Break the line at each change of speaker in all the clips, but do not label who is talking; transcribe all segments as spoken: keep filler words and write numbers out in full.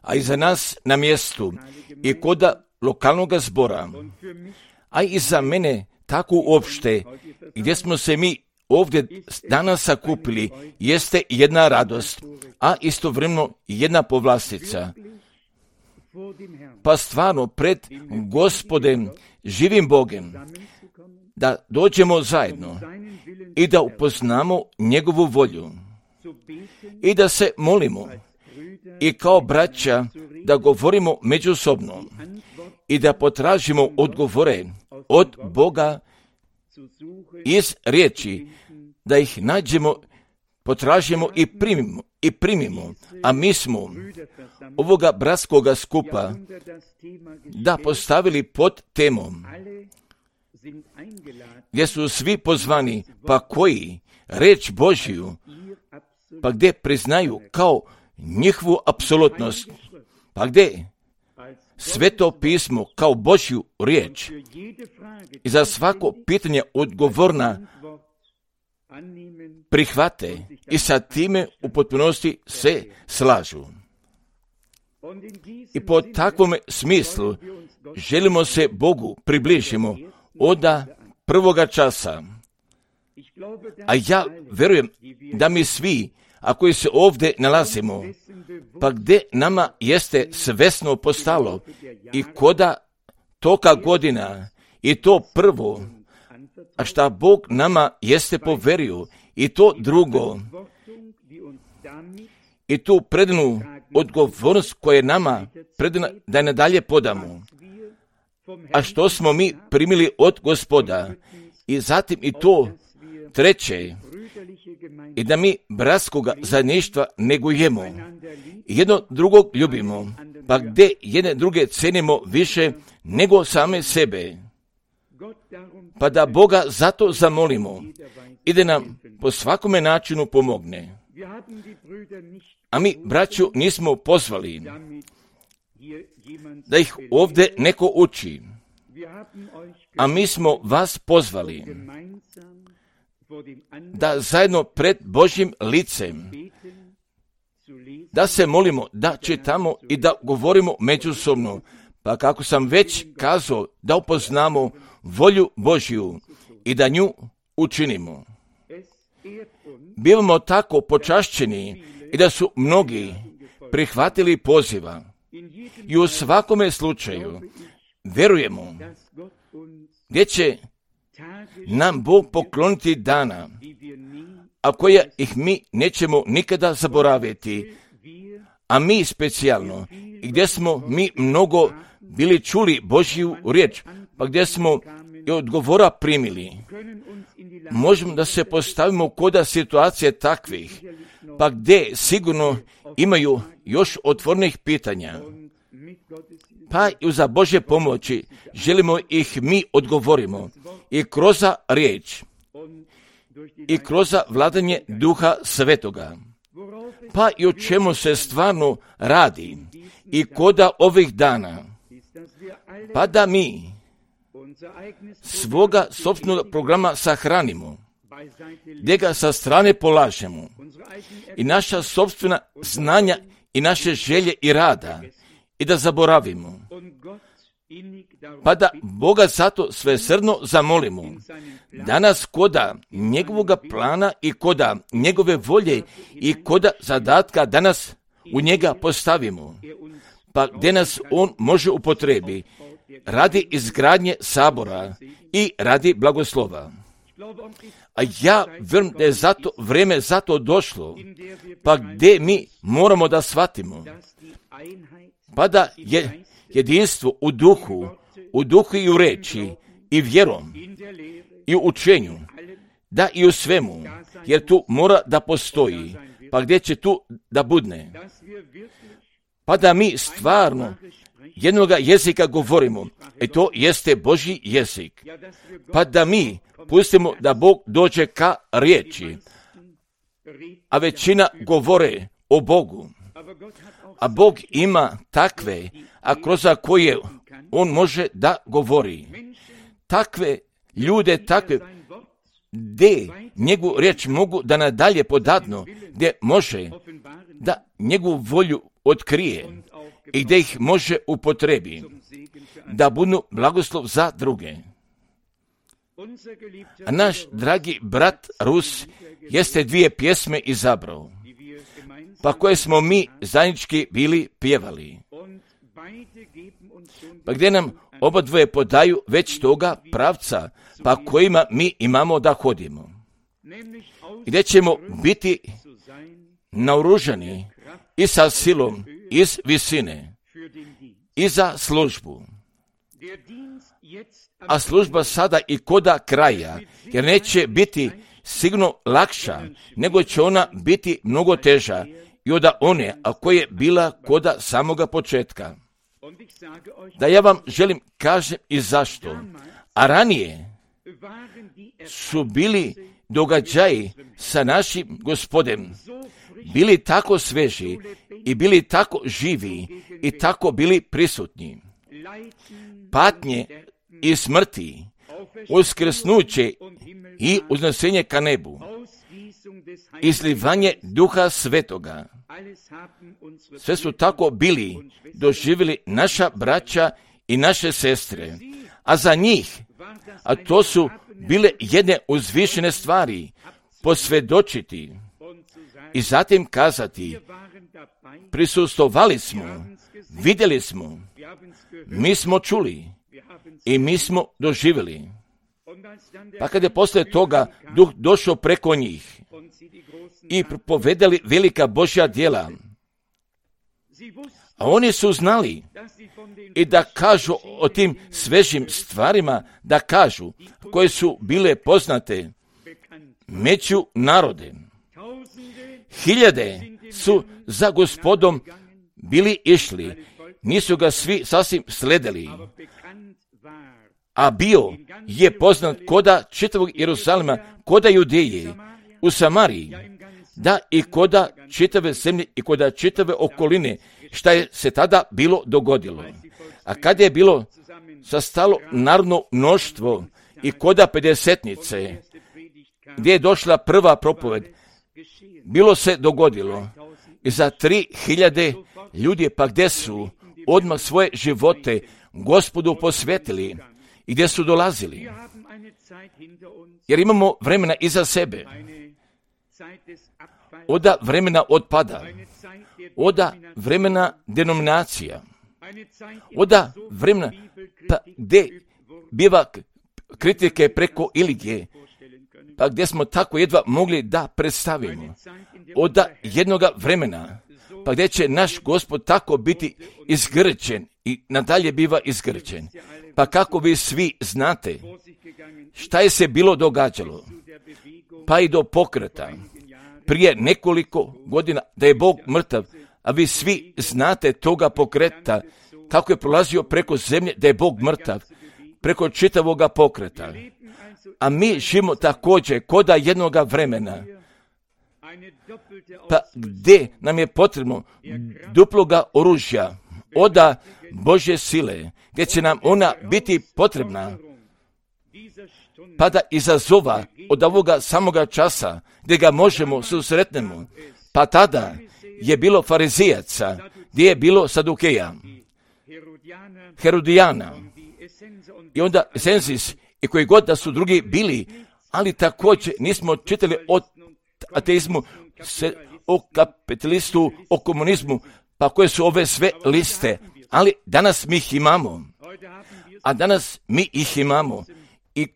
a i za nas na mjestu i kod lokalnog zbora, a i za mene tako uopšte, gdje smo se mi ovdje danas sakupili, jeste jedna radost, a istovremeno jedna povlastica. Pa stvarno pred Gospodem, živim Bogem, da dođemo zajedno i da upoznamo njegovu volju i da se molimo i kao braća da govorimo međusobno i da potražimo odgovore od Boga iz riječi, da ih nađemo, potražimo i primimo, i primimo. A mi smo ovoga bratskoga skupa da postavili pod temom, gdje su svi pozvani, pa koji reč Božiju, pa gdje priznaju kao njihovu apsolutnost, pa gdje Sveto pismo kao Božju riječ i za svako pitanje odgovorna prihvate i sa time u potpunosti se slažu. I po takvom smislu želimo se Bogu približimo od prvoga časa. A ja verujem da mi svi, a koji se ovdje nalazimo, pa gdje nama jeste svesno postalo i koda toka godina i to prvo, a šta Bog nama jeste poverio i to drugo, i tu predanu odgovornost koja je nama predana da je nadalje podamo, a što smo mi primili od Gospoda, i zatim i to treće, i da mi bratskoga zajedništva negujemo, jedno drugog ljubimo, pa gdje jedne druge cenimo više nego same sebe, pa da Boga zato zamolimo i da nam po svakome načinu pomogne. A mi, braću, nismo pozvali da ih ovdje neko uči, a mi smo vas pozvali da zajedno pred Božjim licem da se molimo, da čitamo i da govorimo međusobno, pa kako sam već kazao, da upoznamo volju Božju i da nju učinimo. Bivamo tako počašćeni i da su mnogi prihvatili poziva i u svakome slučaju verujemo gdje će nam Bog pokloniti dana, a koje ih mi nećemo nikada zaboraviti, a mi specijalno, gdje smo mi mnogo bili čuli Božju riječ, pa gdje smo i odgovora primili. Možemo da se postavimo koda situacije takvih, pa gdje sigurno imaju još otvornih pitanja. Pa i za Božje pomoći želimo ih mi odgovorimo i kroz riječ i kroz vladanje Duha Svetoga. Pa i o čemu se stvarno radi i koda ovih dana, pa da mi svoga sopstvenog programa sahranimo, gdje ga sa strane polažemo i naša sopstvena znanja i naše želje i rada i da zaboravimo, pa da Boga zato svesrdno zamolimo da nas koda njegovoga plana i koda njegove volje i koda zadatka da nas u njega postavimo, pa gdje nas on može upotrebi radi izgradnje sabora i radi blagoslova. A ja vjerujem da je zato vrijeme zato došlo, pa gdje mi moramo da shvatimo, pa da je jedinstvo u duhu, u duhu i u reči, i vjerom, i u učenju, da i u svemu, jer tu mora da postoji, pa gdje će tu da budne, pa da mi stvarno jednoga jezika govorimo, i to jeste Božji jezik, pa da mi pustimo da Bog dođe ka riječi, a većina govore o Bogu, a Bog ima takve, a kroz koje on može da govori. Takve ljude, takve, gdje njegovu riječ mogu da nadalje podadnu, gdje može da njegovu volju otkrije i gdje ih može upotrebi, da budu blagoslov za druge. A naš dragi brat Rus jeste dvije pjesme izabrao, pa koje smo mi zajednički bili pjevali, pa gdje nam oba dvoje podaju već toga pravca, pa kojima mi imamo da hodimo. Gdje ćemo biti naoružani i sa silom iz visine i za službu. A služba sada i koda kraja, jer neće biti sigurno lakša, nego će ona biti mnogo teža i od one, a koja je bila koda samoga početka. Da ja vam želim kažem i zašto. A ranije su bili događaji sa našim Gospodem bili tako sveži i bili tako živi i tako bili prisutni. Patnje i smrti, uskrsnuće i uznesenje ka nebu, izlivanje Duha Svetoga, sve su tako bili doživjeli naša braća i naše sestre, a za njih, a to su bile jedne uzvišene stvari, posvjedočiti i zatim kazati, prisustvovali smo, vidjeli smo, mi smo čuli i mi smo doživjeli. Pa kad je poslije toga Duh došao preko njih i propovedali velika Božja djela, a oni su znali i da kažu o tim svežim stvarima, da kažu, koje su bile poznate među narode. Hiljade su za Gospodom bili išli, nisu ga svi sasvim sledili, a bio je poznat koda čitavog Jeruzalema, koda Judeje, u Samariji, da i koda čitave zemlje i koda čitave okoline, šta je se tada bilo dogodilo. A kada je bilo sastalo narodno mnoštvo i koda pedesetnice, gdje je došla prva propoved, bilo se dogodilo i za tri hiljade ljudi, pa gdje su odmah svoje živote Gospodu posvetili i gdje su dolazili. Jer imamo vremena iza sebe, oda vremena otpada, oda vremena denominacija, oda vremena pa gdje biva kritike preko iligije, pa gdje smo tako jedva mogli da predstavimo, oda jednoga vremena, pa gdje će naš Gospod tako biti izgrčen i nadalje biva izgrčen. Pa kako vi svi znate šta je se bilo događalo, pa i do pokreta prije nekoliko godina da je Bog mrtav, a vi svi znate toga pokreta, kako je prolazio preko zemlje da je Bog mrtav, preko čitavoga pokreta. A mi živimo također koda jednoga vremena, pa gdje nam je potrebno duploga oružja, oda Božje sile, gdje će nam ona biti potrebna, pa da izazova od ovoga samoga časa, gdje ga možemo susretnemo, pa tada je bilo farizijaca, gdje je bilo sadukeja, Herodijana, i onda Sensis, i koji god da su drugi bili, ali također nismo čitali o ateizmu, se, o kapitalistu, o komunizmu, pa koje su ove sve liste, ali danas mi ih imamo, a danas mi ih imamo i,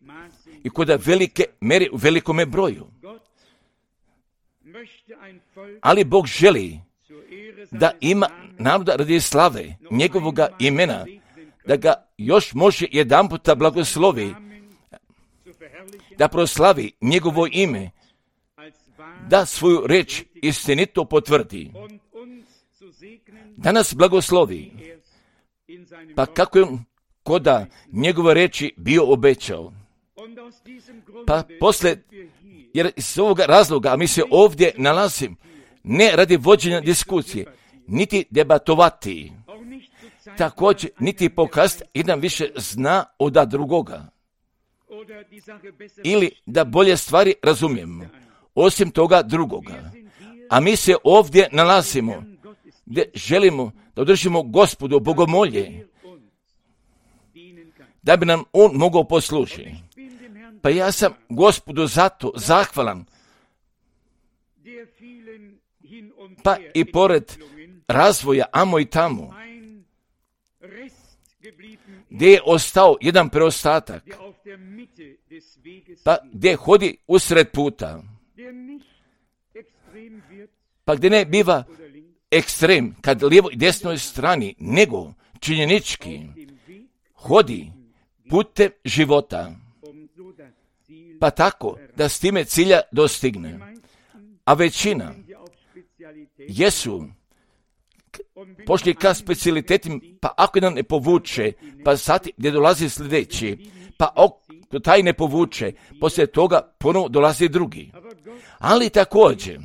i kod velike meri u velikome broju. Ali Bog želi da ima naroda radi slave njegovoga imena, da ga još može jedan puta blagoslovi, da proslavi njegovo ime, da svoju reč istinito potvrdi, da nas blagoslovi, pa kako je on koda njegove reči bio obećao. Pa posle, jer iz ovoga razloga, a mi se ovdje nalazim, ne radi vođenja diskusije, niti debatovati, također niti pokazati jedan više zna od drugoga. ili da bolje stvari razumijemo, osim toga drugoga. A mi se ovdje nalazimo gdje želimo da održimo Gospodu bogomolje, da bi nam On mogao poslužiti. Pa ja sam Gospodu zato zahvalan, pa i pored razvoja amo i tamo, gdje je ostao jedan preostatak, pa gdje hodi usred puta, pa gdje ne biva ekstrem kad lijevo i desnoj strani, nego činjenički hodi putem života, pa tako da s time cilja dostigne. A većina jesu pošli ka specijalitetima, pa ako jedan ne povuče, pa sad gdje dolazi sljedeći, pa ako taj ne povuče, poslije toga ponovo dolazi drugi. Ali također,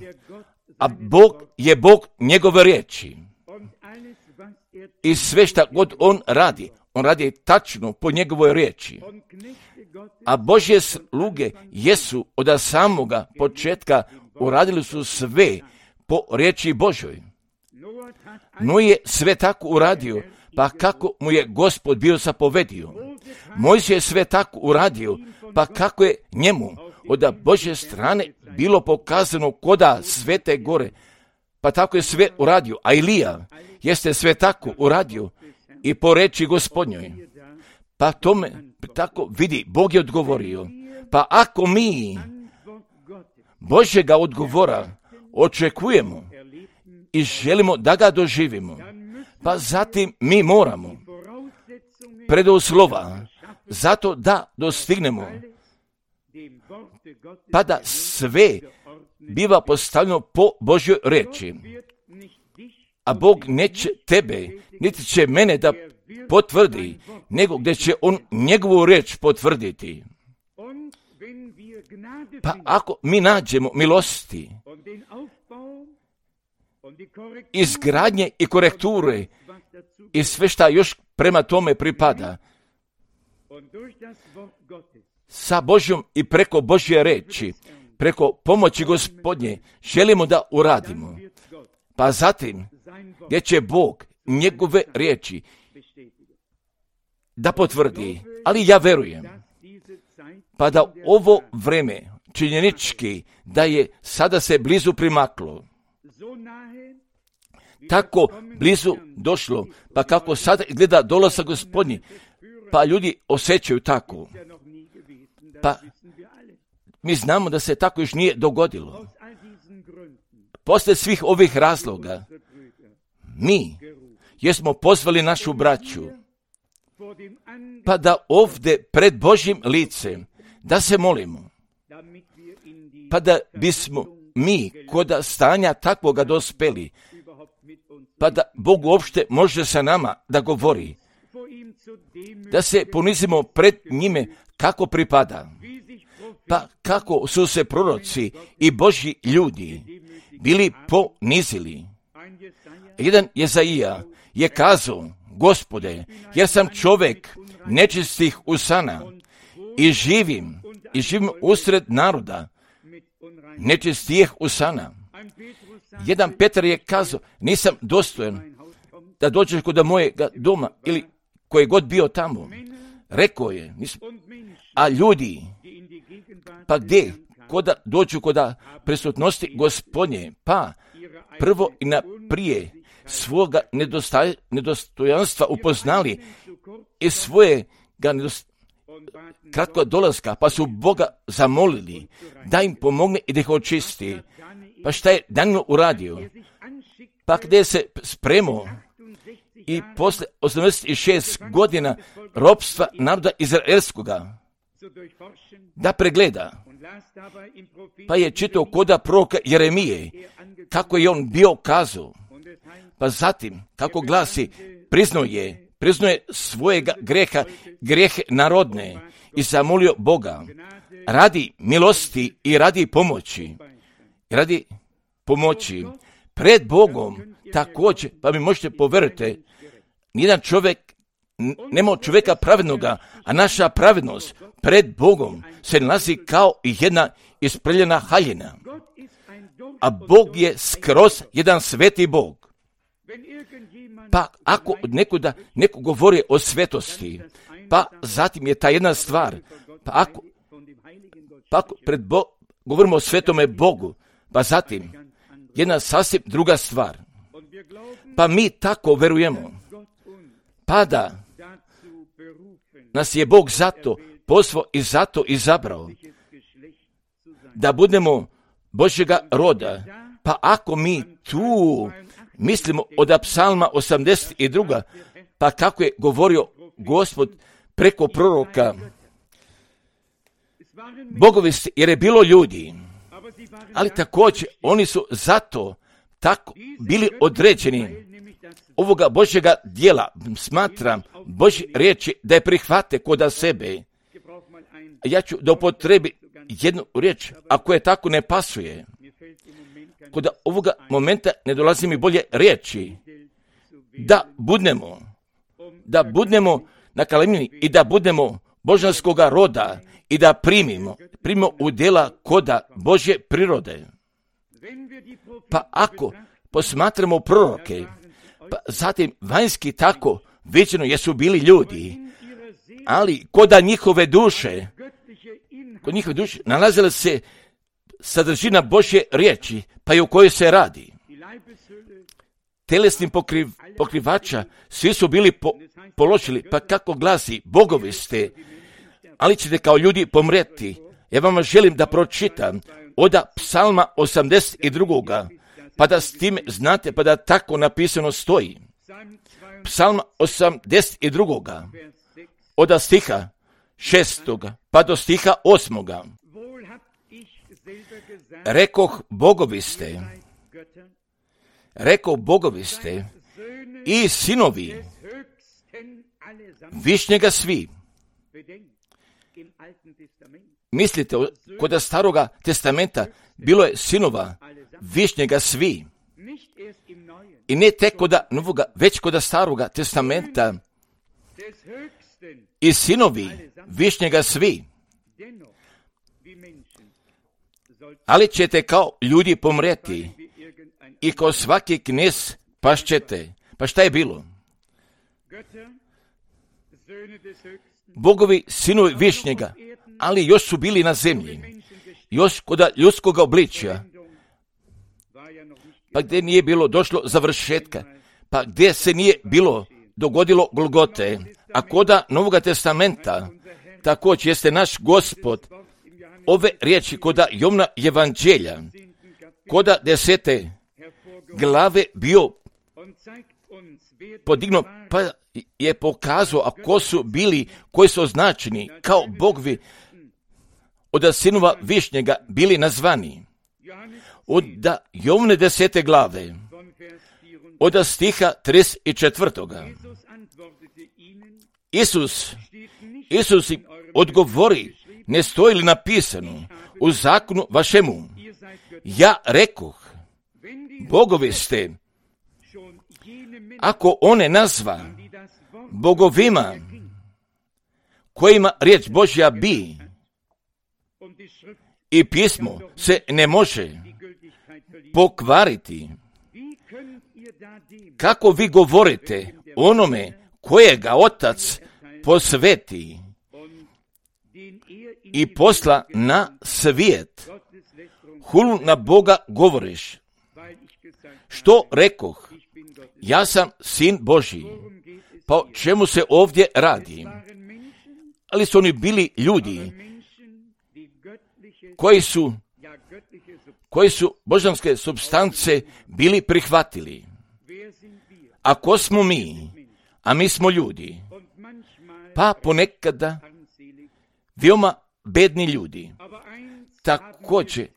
a Bog je Bog njegove riječi. I sve šta god On radi, On radi tačno po njegovoj riječi. A Božje sluge jesu od samoga početka uradili su sve po riječi Božoj. No je sve tako uradio, pa kako mu je Gospod bio zapovedio. Mojsije je sve tako uradio, pa kako je njemu od Božje strane bilo pokazano koda svete gore, pa tako je sve uradio. A Ilija jeste sve tako uradio i po reči Gospodnjoj. Pa tome tako vidi, Bog je odgovorio. Pa ako mi Božjega odgovora očekujemo i želimo da ga doživimo, pa zatim mi moramo preduslova zato da dostignemo, pa da sve biva postavljeno po Božjoj riječi. A Bog neće tebe, niti će mene da potvrdi, nego gdje će On njegovu riječ potvrditi. Pa ako mi nađemo milosti, izgradnje i korekture i sve šta još prema tome pripada, sa Božjom i preko Božje riječi, preko pomoći Gospodnje, želimo da uradimo. Pa zatim, gdje će Bog njegove riječi da potvrdi, ali ja verujem, pa da ovo vreme činjenički da je sada se blizu primaklo, tako blizu došlo, pa kako sada gleda dolazak Gospodnji, pa ljudi osjećaju tako. Pa mi znamo da se tako još nije dogodilo. Posle svih ovih razloga, mi jesmo pozvali našu braću, pa da ovdje pred Božjim licem, da se molimo, pa da bismo mi kod stanja takvoga dospeli, pa da Bog uopšte može sa nama da govori, da se ponizimo pred njime kako pripada, pa kako su se proroci i Božji ljudi bili ponizili. Jedan Jezaija je kazao, Gospode, jer sam čovjek nečistih usana i živim, i živim usred naroda nečistih usana. Jedan Petar je kazao, nisam dostojan da dođeš kod mojega doma ili koji god bio tamo. Rekao je, nisam. A ljudi, pa gdje? Koda dođu koda prisutnosti Gospodnje, pa prvo i naprije svoga nedostaj, nedostojanstva upoznali i svoje ga nedost, kratko dolaska, pa su Boga zamolili da im pomogne i da ih očisti. Pa šta je Danilo uradio? Pa gdje se spremao i posle osamdeset šest godina ropstva naroda izraelskoga da pregleda, pa je čitao koda proroka Jeremije, kako je on bio kazao, pa zatim, kako glasi, priznao je, priznao je svojega greha, grehe narodne i zamolio Boga, radi milosti i radi pomoći, radi pomoći pred Bogom također, pa mi možete poveriti, nijedan čovjek nema čovjeka pravednoga, a naša pravednost pred Bogom se nalazi kao jedna isprljena haljina. A Bog je skroz jedan sveti Bog. Pa ako nekuda neko govori o svetosti, pa zatim je ta jedna stvar, pa ako, pa ako pred Bo, govorimo o svetome Bogu, pa zatim jedna sasvim druga stvar. Pa mi tako verujemo, pa da nas je Bog zato poslao i zato izabrao, da budemo Božjega roda. Pa ako mi tu mislimo od psalma osamdeset dva, pa kako je govorio Gospod preko proroka, bogovi ste, jer je bilo ljudi, ali također oni su zato tako bili određeni ovoga Božjega dijela, smatram Božje riječi da je prihvate koda sebe. Ja ću da upotrebi jednu riječ, ako je tako ne pasuje. Kod ovoga momenta ne dolazi mi bolje riječi, da budemo, da budemo na kalemini i da budemo božanskoga roda i da primimo, primimo u djela koda Božje prirode. Pa ako posmatramo proroke, pa zatim vanjski tako viđeno jesu bili ljudi, ali koda njihove duše, kod njihove duše nalazila se sadržina Božje riječi, pa i o kojoj se radi. Telesni pokriv, pokrivača svi su bili po, položili, pa kako glasi, bogovi ste, ali ćete kao ljudi pomreti. Ja vam želim da pročitam od psalma osamdeset dva, pa da s tim znate, pa da tako napisano stoji. Psalma osamdeset dva, od stiha šestoga, pa do stiha osmoga. Rekoh, bogovi ste, rekoh, bogovi ste i sinovi višnjega svi. Mislite, kod staroga testamenta bilo je sinova višnjega svi. I ne tek kod novoga, već kod staroga testamenta i sinovi višnjega svi. Ali ćete kao ljudi pomreti i kao svaki knez pašćete. Pa šta je bilo? Bogovi sinovi višnjega, ali još su bili na zemlji, još kod ljudskog obličja, pa gdje nije bilo došlo završetka, pa gdje se nije bilo dogodilo Golgote, a koda Novoga testamenta također jeste naš Gospod ove riječi koda Jovna evanđelja, koda desete glave bio podignuo, pa je pokazao, a ko su bili, koji su označeni kao bogovi od sinova višnjega bili nazvani. Od Jovne desete glave, od stiha trideset četvrtoga. Isus, Isus im odgovori, ne stoji li napisano u zakonu vašemu, ja rekoh, bogovi ste, ako one nazva bogovima kojima riječ Božja bi i pismo se ne može pokvariti, kako vi govorite onome kojega Otac posveti i posla na svijet, hulu na Boga govoriš. Što rekoh, ja sam sin Božji. Pa o čemu se ovdje radi? Ali su oni bili ljudi koji su, koji su božanske supstance bili prihvatili. A ko smo mi? A mi smo ljudi. Pa ponekada veoma bedni ljudi. Također,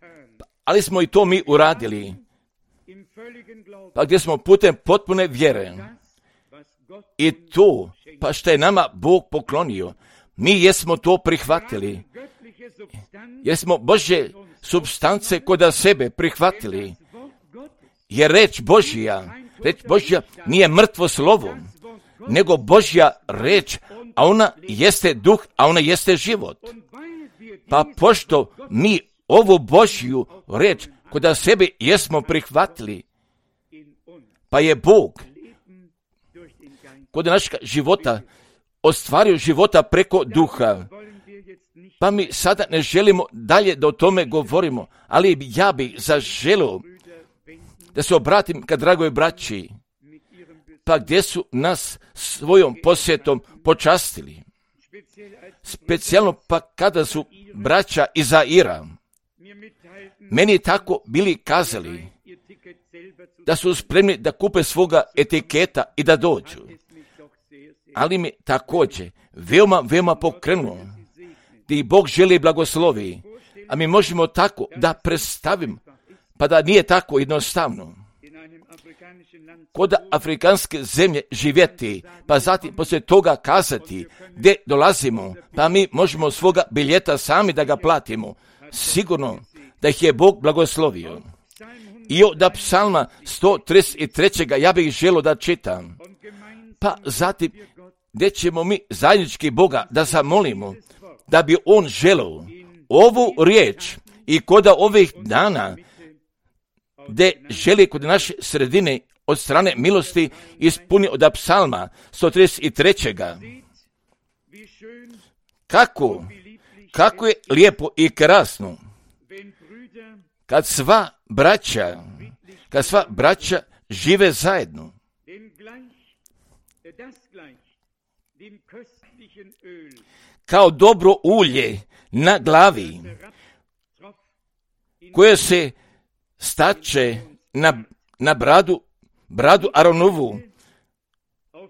ali smo i to mi uradili. Pa gdje smo putem potpune vjere. I to, pa što je nama Bog poklonio, mi jesmo to prihvatili. Jer smo Božje supstance koda sebe prihvatili. Jer reč Božja, reč Božja nije mrtvo slovo, nego Božja reč, a ona jeste duh, a ona jeste život. Pa pošto mi ovu Božju reč kod sebe jesmo prihvatili, pa je Bog kod našeg života ostvario života preko duha. Pa mi sada ne želimo dalje da o tome govorimo, ali ja bih zaželio da se obratim ka dragoj braći, pa gdje su nas svojom posjetom počastili. Specijalno pa kada su braća iz Zaira meni tako bili kazali da su spremni da kupe svoga etiketa i da dođu. Ali mi također veoma, veoma pokrenulo da i Bog želi blagoslovi, a mi možemo tako da predstavim, pa da nije tako jednostavno. Kod afrikanske zemlje živjeti, pa zatim poslije toga kazati gdje dolazimo, pa mi možemo svoga biljeta sami da ga platimo. Sigurno da ih je Bog blagoslovio. I od psalma sto trideset tri. ja bih želio da čitam. Pa zatim gdje ćemo mi zajednički Boga da zamolimo, da bi On želio ovu riječ i kod ovih dana gdje želi kod naše sredine od strane milosti ispuni od psalma sto trideset tri. Kako, kako je lijepo i krasno kad sva braća, kad sva braća žive zajedno. Kao dobro ulje na glavi, koje se stače na, na bradu, bradu Aronovu,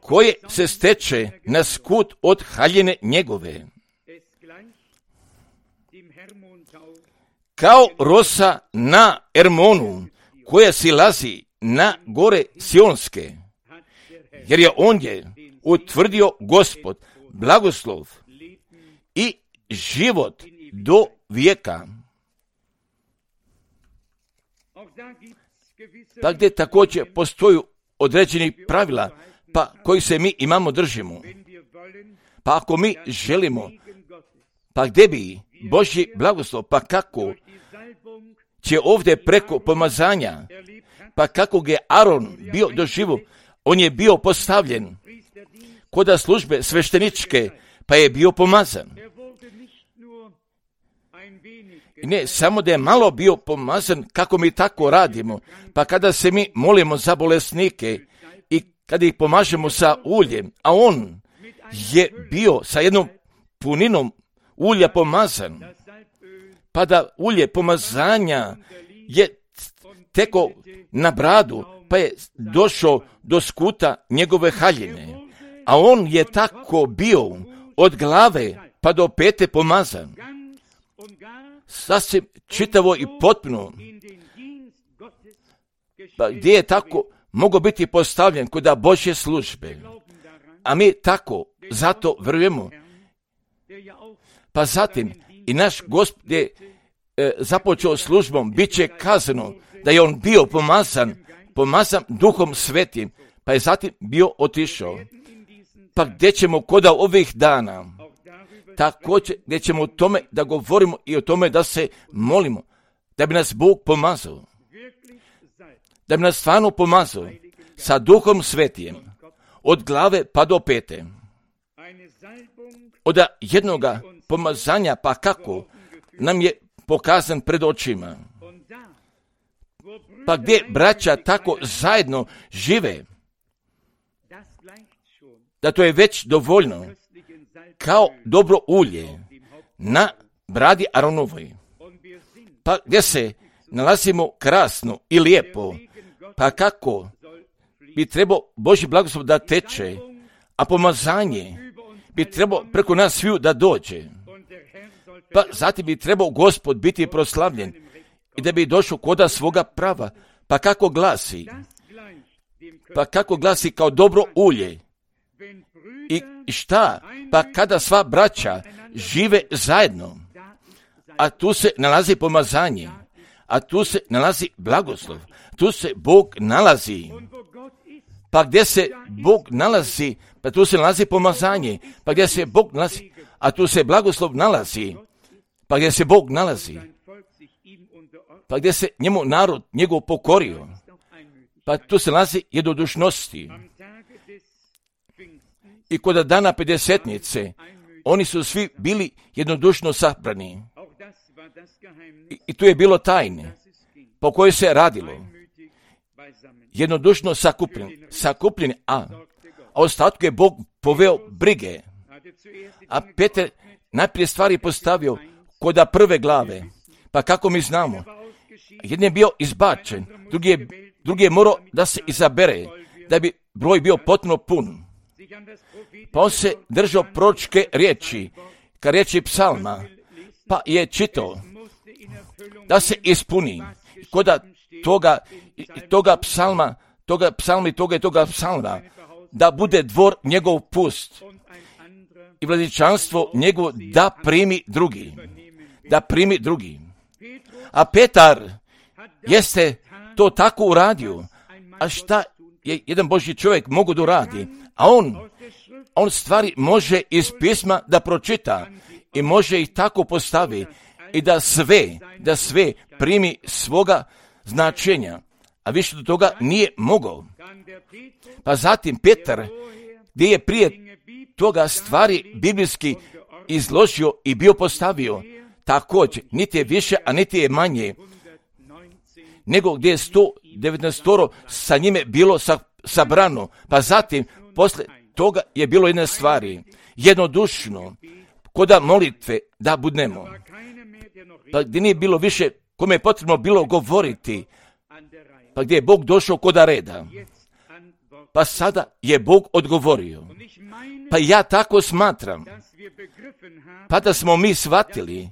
koje se steče na skut od haljine njegove. Kao rosa na Ermonu, koja silazi na gore Sionske, jer je ondje utvrdio Gospod blagoslov i život do vijeka. Pa gdje također postoji određeni pravila, pa koji se mi imamo držimo. Pa ako mi želimo, pa gdje bi Božji blagoslov, pa kako će ovdje preko pomazanja, pa kako je Aron bio doživo, on je bio postavljen kod službe svešteničke, pa je bio pomazan. I ne samo da je malo bio pomazan, kako mi tako radimo, pa kada se mi molimo za bolesnike i kada ih pomažemo sa uljem, a on je bio sa jednom puninom ulja pomazan, pa da ulje pomazanja je teko na bradu, pa je došao do skuta njegove haljine, a on je tako bio od glave pa do pete pomazan, sasvim čitavo i potpuno, pa gdje je tako mogao biti postavljen kod Božje službe. A mi tako zato vjerujemo. Pa zatim i naš Gospod je e, započeo službom, bit će kazano da je on bio pomazan, pomazan Duhom Svetim, pa je zatim bio otišao. Pa gdje ćemo kod ovih dana, također gdje ćemo o tome da govorimo i o tome da se molimo, da bi nas Bog pomazao, da bi nas stvarno pomazao sa Duhom Svetim, od glave pa do pete. Od jednoga pomazanja, pa kako nam je pokazan pred očima. Pa gdje braća tako zajedno žive, da to je već dovoljno, kao dobro ulje na bradi Aronovoj. Pa gdje se nalazimo krasno i lijepo, pa kako bi trebao Božji blagoslov da teče, a pomazanje bi trebao preko nas sviju da dođe. Pa zatim bi trebao Gospod biti proslavljen i da bi došao koda svoga prava. Pa kako glasi? Pa kako glasi kao dobro ulje? I šta? Pa kada sva braća žive zajedno, a tu se nalazi pomazanje, a tu se nalazi blagoslov, tu se Bog nalazi. Pa gdje se Bog nalazi, pa tu se nalazi pomazanje, pa gdje se Bog nalazi, a tu se blagoslov nalazi, pa gdje se Bog nalazi, pa gdje se njemu narod njegov pokorio, pa tu se nalazi jednodušnosti. I kod dana pedesetnice, oni su svi bili jednodušno sabrani. I, i tu je bilo tajne, po kojoj se radilo. Jednodušno sakupljeni, sakupljeni, a, a ostatku je Bog poveo brige. A Petar najprije stvari postavio koda prve glave. Pa kako mi znamo? Jedan je bio izbačen, drugi je, drugi je morao da se izabere, da bi broj bio potpuno pun. Pa on se držao proročke riječi, ka riječi psalma, pa je čitao da se ispuni koda toga, toga psalma, toga psalma i toga i toga psalma, da bude dvor njegov pust i vladičanstvo njegov da primi drugi, da primi drugi. A Petar jeste to tako uradio, a šta je jedan Božji čovjek mogu da uradi? A on, on stvari može iz pisma da pročita i može ih tako postavi i da sve, da sve primi svoga značenja, a više do toga nije mogao. Pa zatim Petar, gdje je prije toga stvari biblijski izložio i bio postavio, također, niti je više, a niti je manje, nego gdje je sto devetnaest sa njime bilo sa, sabrano. Pa zatim, posle toga je bilo jedne stvari, jednodušno, koda molitve da budnemo. Pa gdje nije bilo više kome je potrebno bilo govoriti, pa gdje je Bog došao koda reda. Pa sada je Bog odgovorio. Pa ja tako smatram, pa da smo mi shvatili,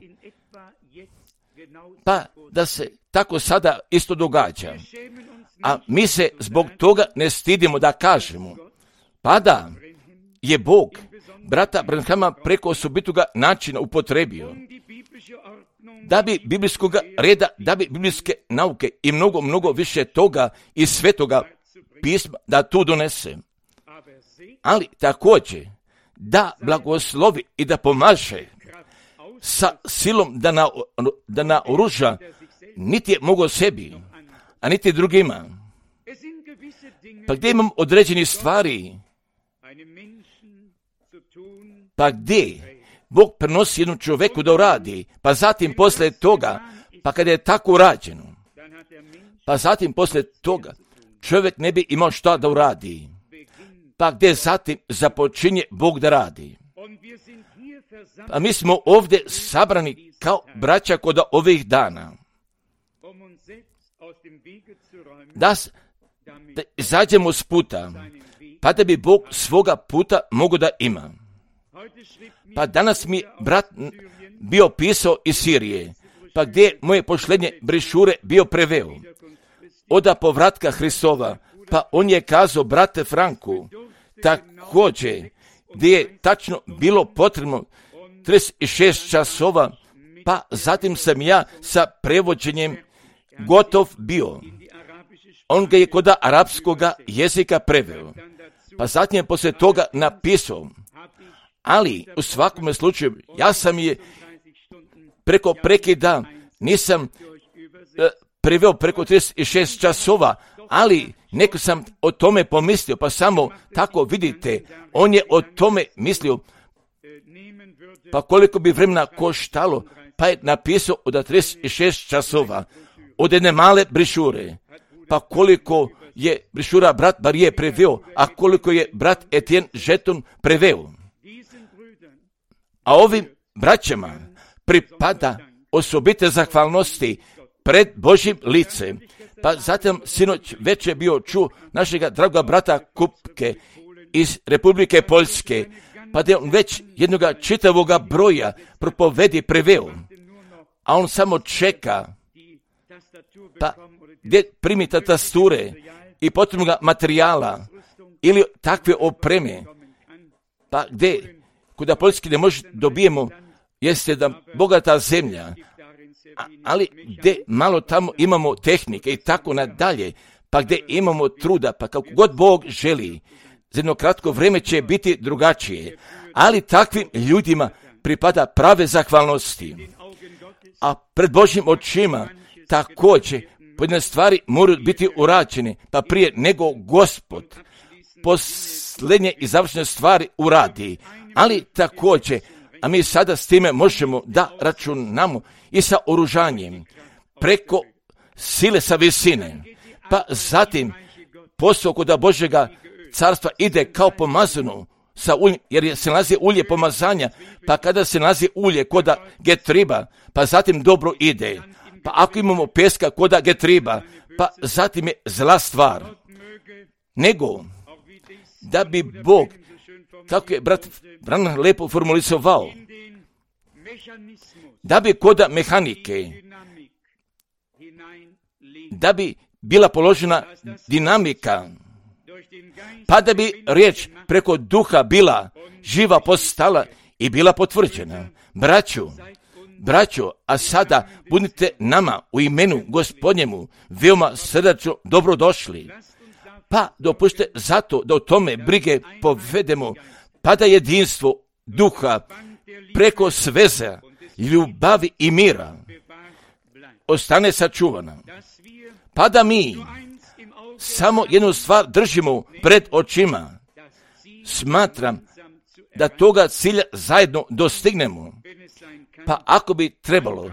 pa da se tako sada isto događa. A mi se zbog toga ne stidimo da kažemo, pa da je Bog brata Branhama preko osobitoga načina upotrebio, da bi biblijskog reda, da bi biblijske nauke i mnogo, mnogo više toga iz svetoga pisma da tu donese. Ali također da blagoslovi i da pomaže sa silom da, na, da naoruža niti je mogao sebi, a niti drugima. Pa gdje imam određeni stvari, pa gdje Bog prenosi jednu čovjeku da uradi, pa zatim posle toga, pa kada je tako urađeno, pa zatim posle toga čovjek ne bi imao šta da uradi, pa gdje zatim započinje Bog da radi. A mi smo ovdje sabrani kao braća kod ovih dana, da, da izađemo s puta, pa da bi Bog svoga puta mogo da ima. Pa danas mi brat bio pisao iz Sirije, pa gdje moje pošlednje brišure bio preveo. Oda povratka Hristova, pa on je kazao brate Franku, također gdje je tačno bilo potrebno trideset šest časova, pa zatim sam ja sa prevođenjem gotov bio. On ga je kod arapskoga jezika preveo, pa zatim je poslije toga napisao. Ali u svakom slučaju ja sam je preko prekida nisam e, preveo preko trideset šest časova, ali neko sam o tome pomislio, pa samo tako vidite, on je o tome mislio, pa koliko bi vremena koštalo, pa je napisao od trideset šest časova, od jedne male brišure, pa koliko je brišura brat Barije preveo, a koliko je brat Etienne Žeton preveo. A ovim braćama pripada osobite zahvalnosti pred Božjim licem. Pa zatim sinoć već je bio čuo našega dragoga brata Kupke iz Republike Poljske, pa da je on već jednoga čitavoga broja propovedi preveo, a on samo čeka, pa gdje primi tatasture i potrebnoga materijala ili takve opreme, pa gdje kuda Poljski ne može dobijemo, jeste da bogata zemlja, a, ali gdje malo tamo imamo tehnike i tako nadalje, pa gdje imamo truda, pa kako god Bog želi za jedno kratko vrijeme će biti drugačije, ali takvim ljudima pripada prave zahvalnosti. A pred Božjim očima također pojedine stvari moraju biti urađene, pa prije nego Gospod posljednje i završne stvari uradi. Ali također, a mi sada s time možemo da računamo i sa oružanjem preko sile sa visine, pa zatim posao kod Božjega carstva ide kao pomazano sa uljem, jer se nalazi ulje pomazanja, pa kada se nalazi ulje koda getriba, pa zatim dobro ide. Pa ako imamo peska koda getriba, pa zatim je zla stvar. Nego, da bi Bog, kako je brat Branham lepo formulisovao, da bi koda mehanike, da bi bila položena dinamika, pa da bi riječ preko duha bila živa postala i bila potvrđena. Braću, braćo, a sada budite nama u imenu Gospodnjemu veoma srdačno dobrodošli. Pa dopušte zato da o tome brige povedemo, pa da jedinstvo duha preko sveze, ljubavi i mira ostane sačuvana. Pa da mi samo jednu stvar držimo pred očima. Smatram da toga cilja zajedno dostignemo. Pa ako bi trebalo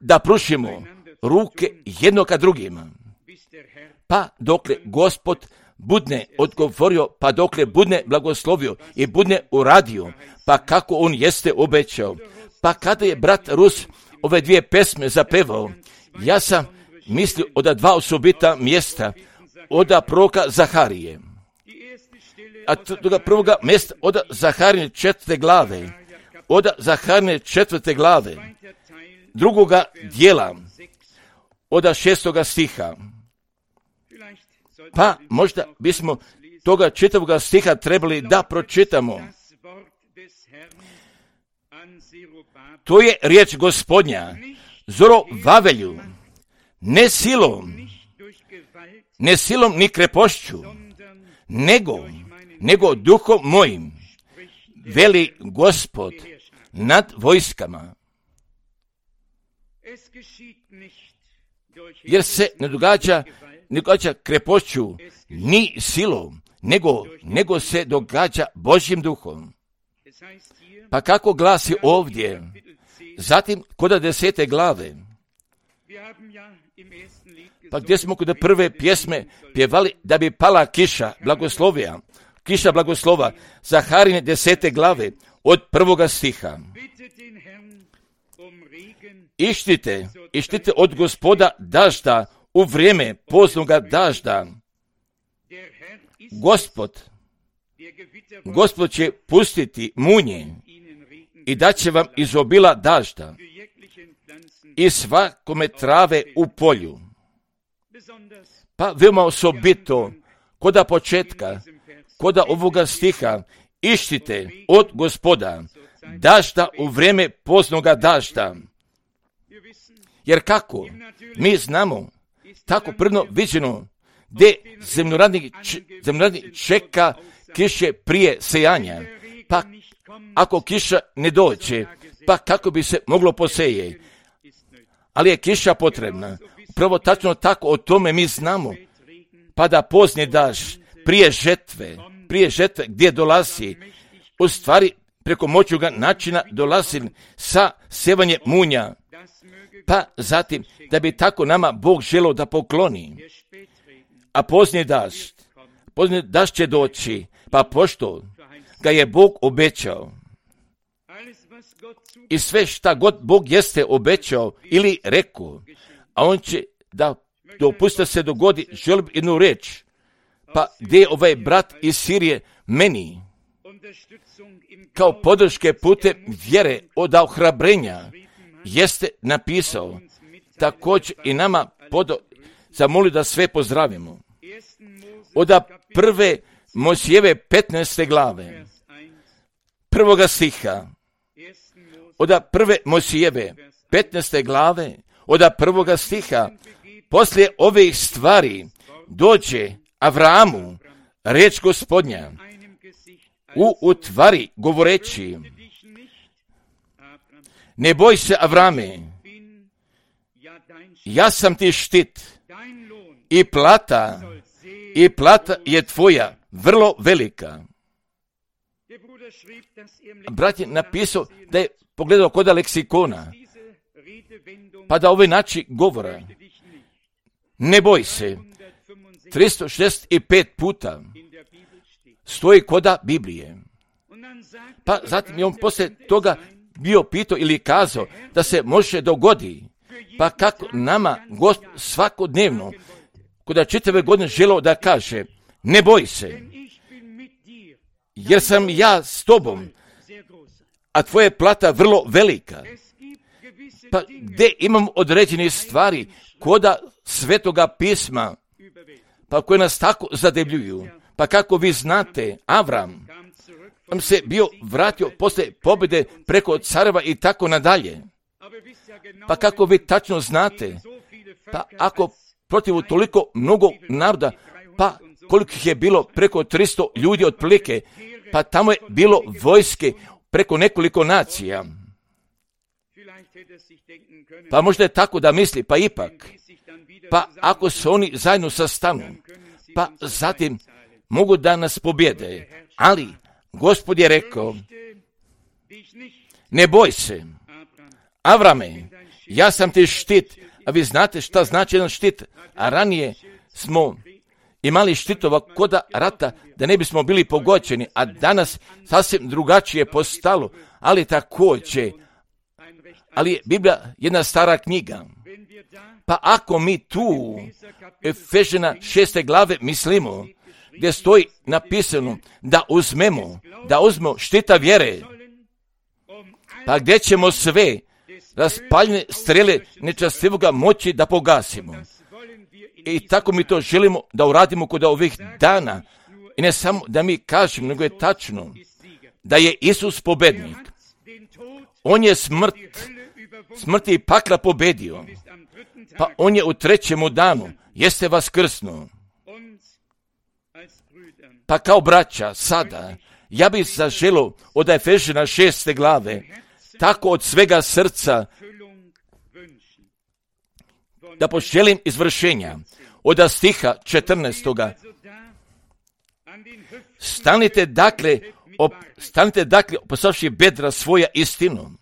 da pružimo ruke jedno ka drugima, pa dokle Gospod budne odgovorio, pa dokle budne blagoslovio i budne uradio, pa kako on jeste obećao. Pa kada je brat Rus ove dvije pesme zapevao, ja sam mislio od dva osobita mjesta, od proroka Zaharije. A toga prvoga mjesta od Zaharine četvrte glave, od Zaharine četvrte glave, drugoga dijela, od šestoga stiha. Pa možda bismo toga četvrtoga stiha trebali da pročitamo. To je riječ Gospodnja, Zorovavelju, ne silom, ne silom ni krepošću, nego, nego duhom mojim, veli Gospod nad vojskama. Jer se ne događa, ne događa krepošću ni silom, nego, nego se događa Božjim duhom. Pa kako glasi ovdje, zatim kod desete glave, pa gdje smo kod prve pjesme pjevali da bi pala kiša blagoslovija, kiša blagoslova, Zaharine desete glave, od prvoga stiha. Ištite, ištite od Gospoda dažda u vrijeme poznoga dažda. Gospod, Gospod će pustiti munje i daće vam izobila dažda i svakome trave u polju. Pa veoma osobito, koda početka, koda ovoga stiha, ištite od Gospoda dažda u vrijeme poznoga dažda. Jer kako? Mi znamo, tako prvno viđeno, gdje zemljoradnik, zemljoradnik čeka kiše prije sejanja, pa ako kiša ne dođe, pa kako bi se moglo poseje. Ali je kiša potrebna. Upravo tačno tako o tome mi znamo. Pa da pozni daž prije žetve, prije žetve gdje dolazi, u stvari preko moćuga načina dolazi sa sevanje munja. Pa zatim da bi tako nama Bog želio da pokloni. A pozni daž, pozni daž će doći, pa pošto ga je Bog obećao. I sve šta god Bog jeste obećao ili rekao, a on će da dopusta se dogodi, želim jednu reč, pa gdje je ovaj brat iz Sirije meni, kao podrške putem vjere od ohrabrenja, jeste napisao, također i nama podo, zamoli da sve pozdravimo. Od prve Mojsijeve petnaeste glave, prvoga stiha, od prve Mojsijeve petnaeste glave, od prvoga stiha, poslije ovih stvari dođe Avramu riječ Gospodnja u utvari govoreći: ne boj se, Avrame, ja sam ti štit i plata, i plata je tvoja vrlo velika. Brat je napisao da je pogledao koda leksikona, pa da ovaj način govora ne boj se tristo šezdeset pet puta stoji koda Biblije. Pa zatim je on poslije toga bio pitao ili kazao da se može dogodi, pa kako nama Gospod svakodnevno koda čitave godine želeo da kaže ne boj se, jer sam ja s tobom, a tvoja plata vrlo velika. Pa gdje imam određene stvari koda Svetoga pisma, pa koje nas tako zadebljuju. Pa kako vi znate, Avram on se bio vratio posle pobjede preko careva i tako nadalje. Pa kako vi tačno znate, pa ako protiv toliko mnogo naroda, pa koliko ih je bilo preko tristo ljudi otprilike, pa tamo je bilo vojske preko nekoliko nacija. Pa možda je tako da misli, pa ipak, pa ako se oni zajedno sastanu, pa zatim mogu da nas pobjede, ali Gospod je rekao, ne boj se, Avrame, ja sam ti štit, a vi znate šta znači jedan štit, a ranije smo imali štitova koda rata da ne bismo bili pogođeni, a danas sasvim drugačije postalo, ali također, ali je Biblija jedna stara knjiga. Pa ako mi tu Efežana šeste glave mislimo, gdje stoji napisano da uzmemo, da uzmemo štita vjere, pa gdje ćemo sve raspaljene strele nečastivoga moći da pogasimo. I tako mi to želimo da uradimo kod ovih dana. I ne samo da mi kažemo, nego je tačno da je Isus pobednik. On je smrt, smrti i pakla pobedio. Pa on je u trećemu danu, jeste vaskrsnuo. Pa kao braća, sada, ja bih zaželio od Efežana šeste glave, tako od svega srca, da poželim izvršenja. Od stiha četrnaestoga. Stanite dakle, op, stanite dakle, postavši bedra svoja istinom.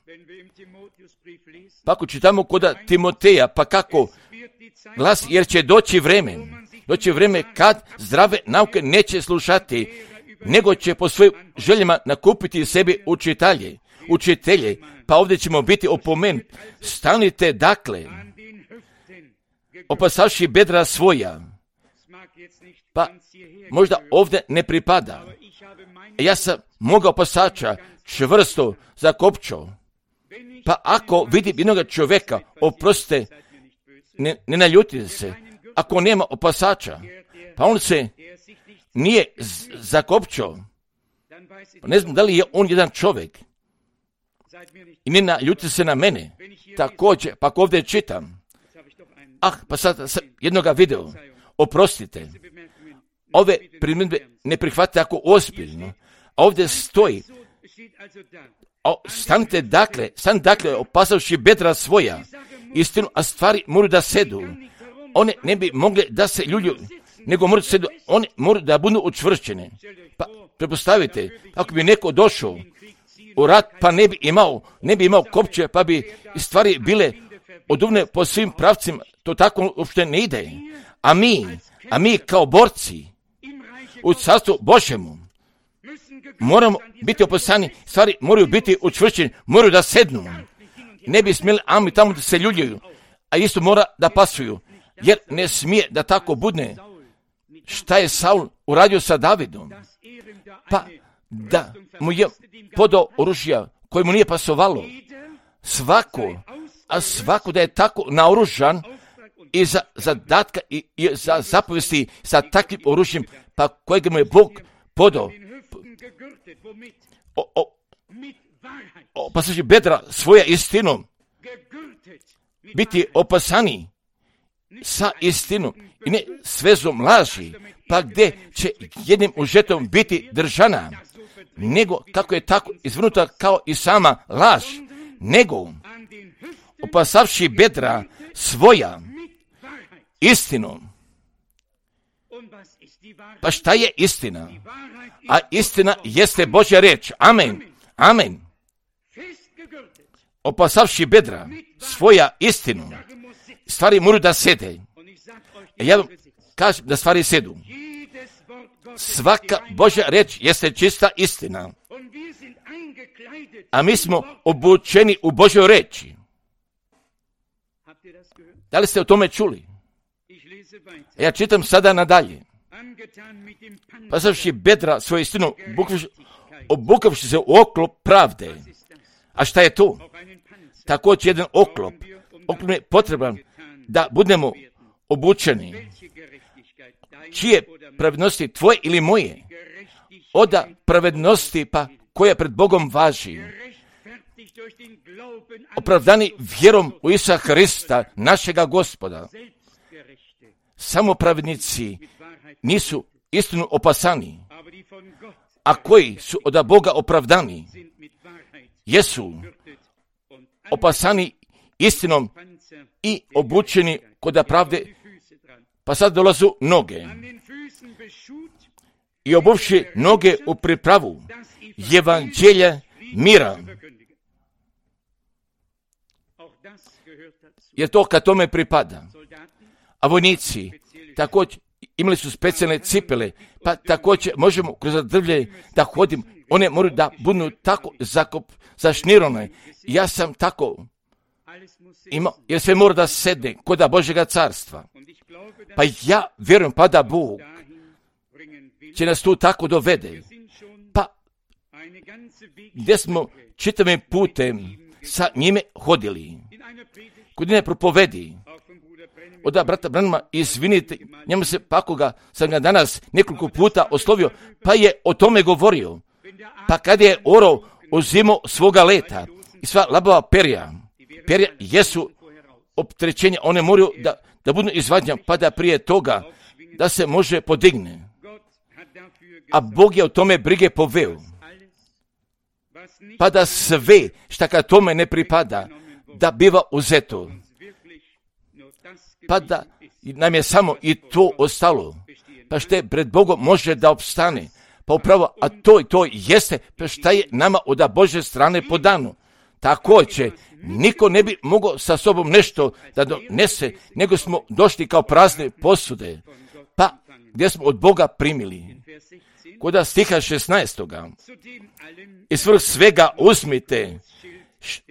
Pa ako čitamo koda Timoteja, pa kako glas, jer će doći vreme, doći vreme kad zdrave nauke neće slušati, nego će po svojim željama nakupiti sebi učitelje, učitelje, pa ovdje ćemo biti opomenuti. Stanite dakle, opasavši bedra svoja, pa možda ovdje ne pripada. Ja sam mogao pasača čvrsto zakopčao, pa ako vidim jednog čovjeka, oprostite, ne, ne naljutite se, ako nema opasača, pa on se nije z- zakopčao, pa ne znam da li je on jedan čovjek, i ne naljutite se na mene, također, pa ako ovdje čitam, ah, pa sad sam jednoga video, oprostite, ove primjedbe ne prihvatite ako ozbiljno, a ovdje stoji, o, stanite dakle, stanite dakle, opasavši bedra svoja, istinu, a stvari moraju da sedu, one ne bi mogle da se ljulju, nego moraju da sedu, one moraju da budu učvršćene. Pa prepostavite, ako bi neko došao u rat, pa ne bi imao, ne bi imao kopče, pa bi stvari bile oduvne po svim pravcima, to tako uopšte ne ide. A mi, a mi kao borci u carstvu Božjemu moramo biti opasani, stvari moraju biti učvršćene, moraju da sednu. Ne bi smjeli ami tamo da se ljuljaju, a isto mora da pasuju, jer ne smije da tako budne. Šta je Saul uradio sa Davidom? Pa da mu je podao oružja koje mu nije pasovalo. Svako, a svako da je tako naoružan i za zadatka i, i za zapovesti sa takvim oružjem, pa kojeg mu je Bog podao. O, o, opasaši bedra svoja istinom, biti opasani sa istinom i ne svezom laži, pa gdje će jednim užetom biti držana. nego kako je tako izvrnuta kao i sama laž, nego opasavši bedra svoja istinom. Pa šta je istina? A istina jeste Božja riječ. Amen. Amen. Opasavši bedra svoja istinu, stvari moraju da sede. Ja vam kažem da stvari sedu. Svaka Božja riječ jeste čista istina. A mi smo obučeni u Božjoj riječi. Da li ste o tome čuli? Ja čitam sada nadalje. Pasavši bedra svoju istinu, obukavši se u oklop pravde. A šta je to? Također jedan oklop. Oklop je potreban da budemo obučeni. Čije pravednosti, tvoje ili moje? Oda pravednosti pa koja pred Bogom važi. Opravdani vjerom u Isusa Hrista, našega Gospoda. Samo pravednici nisu istinu opasani, a koji su od Boga opravdani, jesu opasani istinom i obučeni kod pravde, pa sad dolazu noge. I obuvši noge u pripravu evanđelja mira. Jer to kad tome pripada. A vojnici također imali su specijalne cipele, pa također možemo kroz drvlje da hodim. One moraju da budu tako zakop, zašnirone. Ja sam tako imao, jer sve mora da sedne kod Božjega carstva. Pa ja vjerujem pa da Bog će nas tu tako dovede. Pa gdje smo čitavim putem sa njime hodili. Kod njene propovedi. Oda brata Branhama, izvinite, njemu se pako ga, sam ga danas nekoliko puta oslovio, pa je o tome govorio. Pa kad je orao uzimao svoga leta i sva labava perja, perja jesu opterećenja, one moraju da, da budu izvadnja, pa da prije toga da se može podigne. A Bog je o tome brige poveo. Pa da sve šta kad tome ne pripada, da biva uzeto. Pa da nam je samo i to ostalo. Pa što je pred Bogom može da opstane. Pa upravo, a to i to jeste, pa šta je nama od Božje strane podano. Također, niko ne bi mogao sa sobom nešto da donese, nego smo došli kao prazne posude. Pa gdje smo od Boga primili. Kod stiha šesnaestoga. I svrh svega uzmite,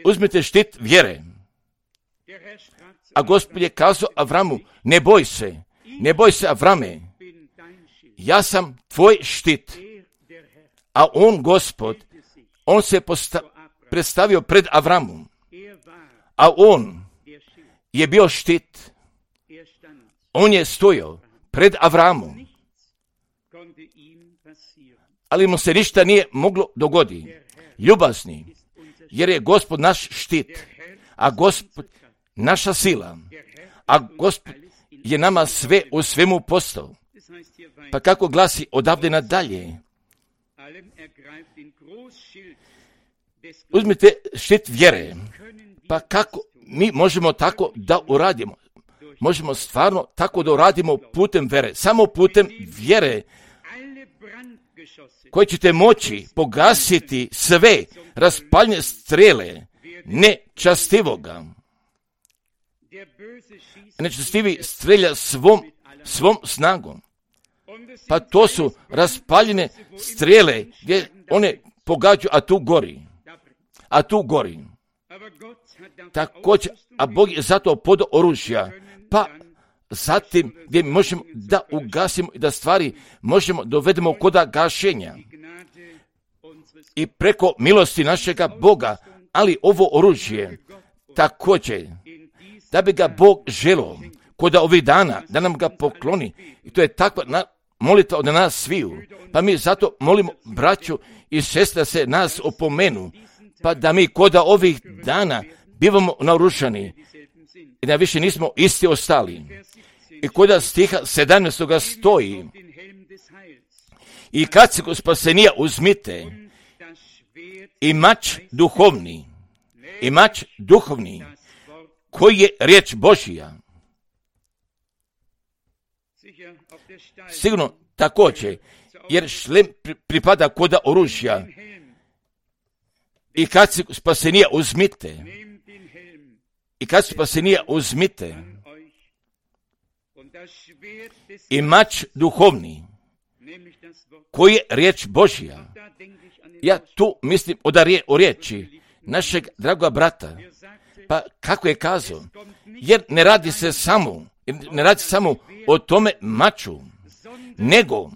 uzmite štit vjere. A Gospod je kazao Avramu, ne boj se, ne boj se Avrame, ja sam tvoj štit. A on, Gospod, on se posta- predstavio pred Avramom, a on je bio štit. On je stojao pred Avramom, ali mu se ništa nije moglo dogoditi. Ljubazni, jer je Gospod naš štit, a Gospod naša sila, a Gospod je nama sve u svemu postao. Pa kako glasi odavde nadalje? Uzmite štit vjere. Pa kako mi možemo tako da uradimo? Možemo stvarno tako da uradimo putem vjere. Samo putem vjere koji ćete moći pogasiti sve raspaljene strele nečastivoga. Nečastivi strelja svom, svom snagom. Pa to su raspaljene strele gdje one pogađaju, a tu gori. A tu gori. Također, a Bog je zato podao oružja. Pa zatim gdje možemo da ugasimo i da stvari možemo dovedemo kod gašenja. I preko milosti našega Boga, ali ovo oružje također, da bi ga Bog želio kod ovih dana, da nam ga pokloni. I to je takva na, molitva od nas sviju. Pa mi zato molimo braću i sestre da se nas opomenu, pa da mi kod ovih dana bivamo naoružani i da više nismo isti ostali. I kod stiha sedamnaestoga stoji: i kad se kod spasenija uzmite i mač duhovni, i mač duhovni, koji je riječ Božja. Sigurno također, jer šlem pripada koda oružja. I kad se spasenija uzmite, i kad se spasenija uzmite, i mač duhovni, koji je riječ Božja. Ja tu mislim o riječi našeg dragoga brata. Pa kako je kazao? Jer ne radi se samo, ne radi se samo o tome maču, nego,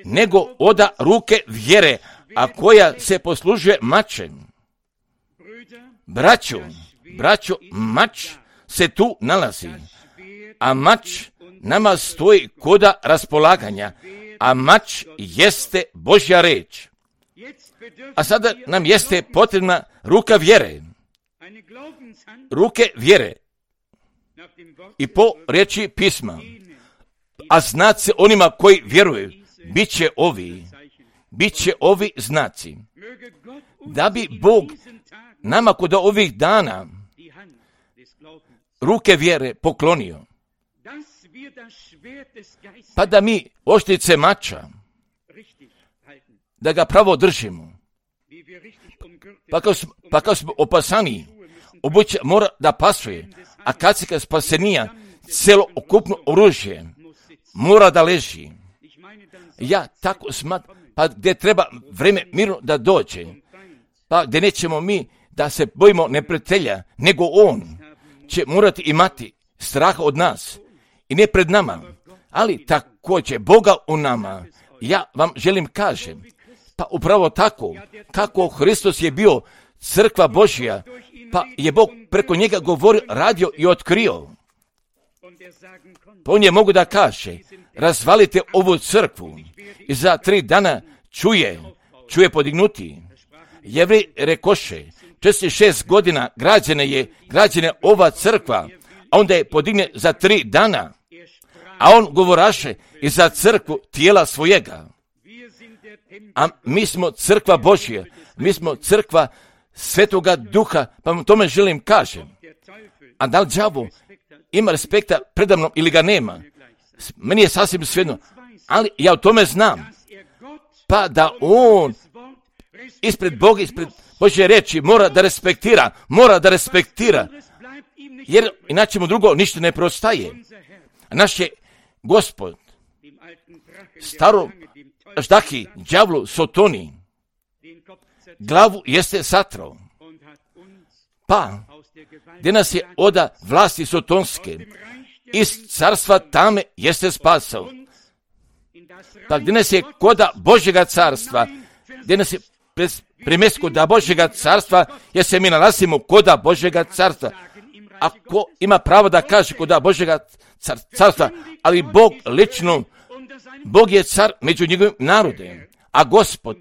nego oda ruke vjere, a koja se poslužuje mačem. Braćo, braćo, mač se tu nalazi, a mač nama stoji koda raspolaganja, a mač jeste Božja reč. A sada nam jeste potrebna ruka vjere. Ruke vjere. I po riječi pisma. A znaci onima koji vjeruju, bit će ovi, bit će ovi znaci. Da bi Bog nama kod ovih dana ruke vjere poklonio. Pa da mi oštrice mača, da ga pravo držimo. Pa kao smo, pa kao smo opasani, obuće mora da pasuje, a kad se kad spasenija, celo okupno oružje mora da leži. Ja tako smatram, pa gdje treba vreme mirno da dođe, pa gdje nećemo mi da se bojimo neprijatelja, nego on će morati imati straha od nas i ne pred nama, ali također Boga u nama. Ja vam želim kažem, pa upravo tako, kako Hristos je bio crkva Božja, pa je Bog preko njega govorio, radio i otkrio. Pa on je mogu da kaže, razvalite ovu crkvu i za tri dana čuje, čuje podignuti. Jevrej rekoše, četrdeset šest godina građena je, građena ova crkva, a onda je podigne za tri dana, a on govoraše i za crkvu tijela svojega. A mi smo crkva Božja, mi smo crkva Svetoga Duha, pa vam tome želim kažem. A da li đavo ima respekta predamnom ili ga nema? Meni je sasvim svejedno, ali ja o tome znam. Pa da on ispred Boga, ispred Božje reči mora da respektira, mora da respektira, jer inače mu drugo ništa ne preostaje. Naš je Gospod starom ždahi, đavlu, sotoni, glavu jeste satrao, pa gdje nas je oda vlasti sotonske, iz carstva tame jeste spasao, pa gdje nas je koda Božjega carstva, gdje nas je primest koda Božjega carstva, jer se mi nalazimo koda Božjega carstva. Ako ima pravo da kaže koda Božjega carstva, ali Bog lično, Bog je car među njegovim narodem, a Gospod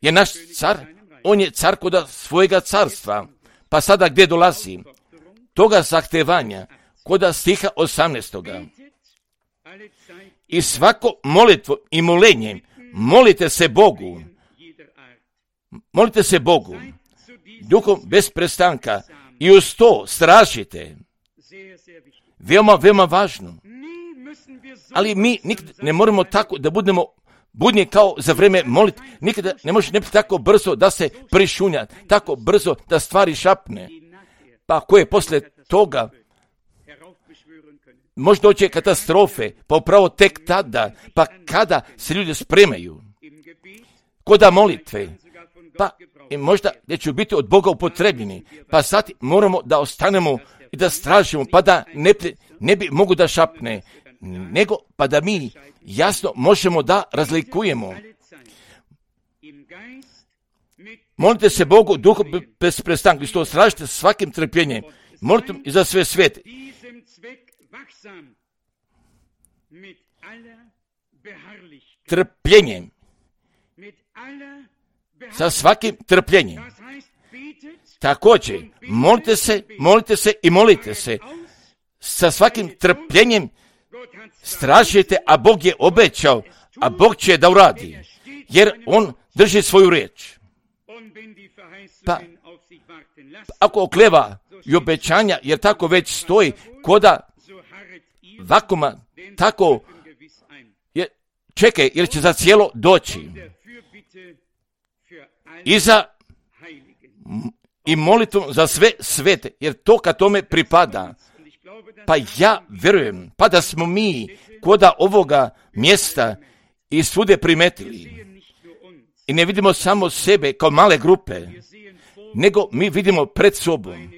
je naš car, on je car koda svojega carstva. Pa sada gdje dolazi? Toga zahtevanja, koda stiha osamnaestoga. I svako molitvo i molenje, molite se Bogu, molite se Bogu, duhom bez prestanka i uz to stražite. Veoma, veoma važno. Ali mi nikad ne moramo tako da budemo budni kao za vrijeme moliti. Nikada ne može ne biti tako brzo da se prišunja, tako brzo da stvari šapne. Pa koje poslije toga može doći katastrofe, pa upravo tek tada, pa kada se ljudi spremaju koda molitve, pa i možda gdje će biti od Boga upotrebljeni, pa sad moramo da ostanemo i da stražimo, pa da ne, ne bi mogu da šapne, nego pa da mi jasno možemo da razlikujemo. Molite se Bogu duhom bez prestanka, isto stražite svakim trpljenjem, molite i za sve svete. Trpljenjem, sa svakim trpljenjem. Također, molite se, molite se i molite se. Sa svakim trpljenjem stražite, a Bog je obećao, a Bog će da uradi, jer on drži svoju riječ. Pa, ako okleva i obećanja, jer tako već stoji, koda vakuma, tako je, čekaj, jer će za cijelo doći. I za i molitvom za sve svete, jer to kad tome pripada. Pa ja vjerujem, pa da smo mi koda ovoga mjesta i svude primetili. I ne vidimo samo sebe kao male grupe, nego mi vidimo pred sobom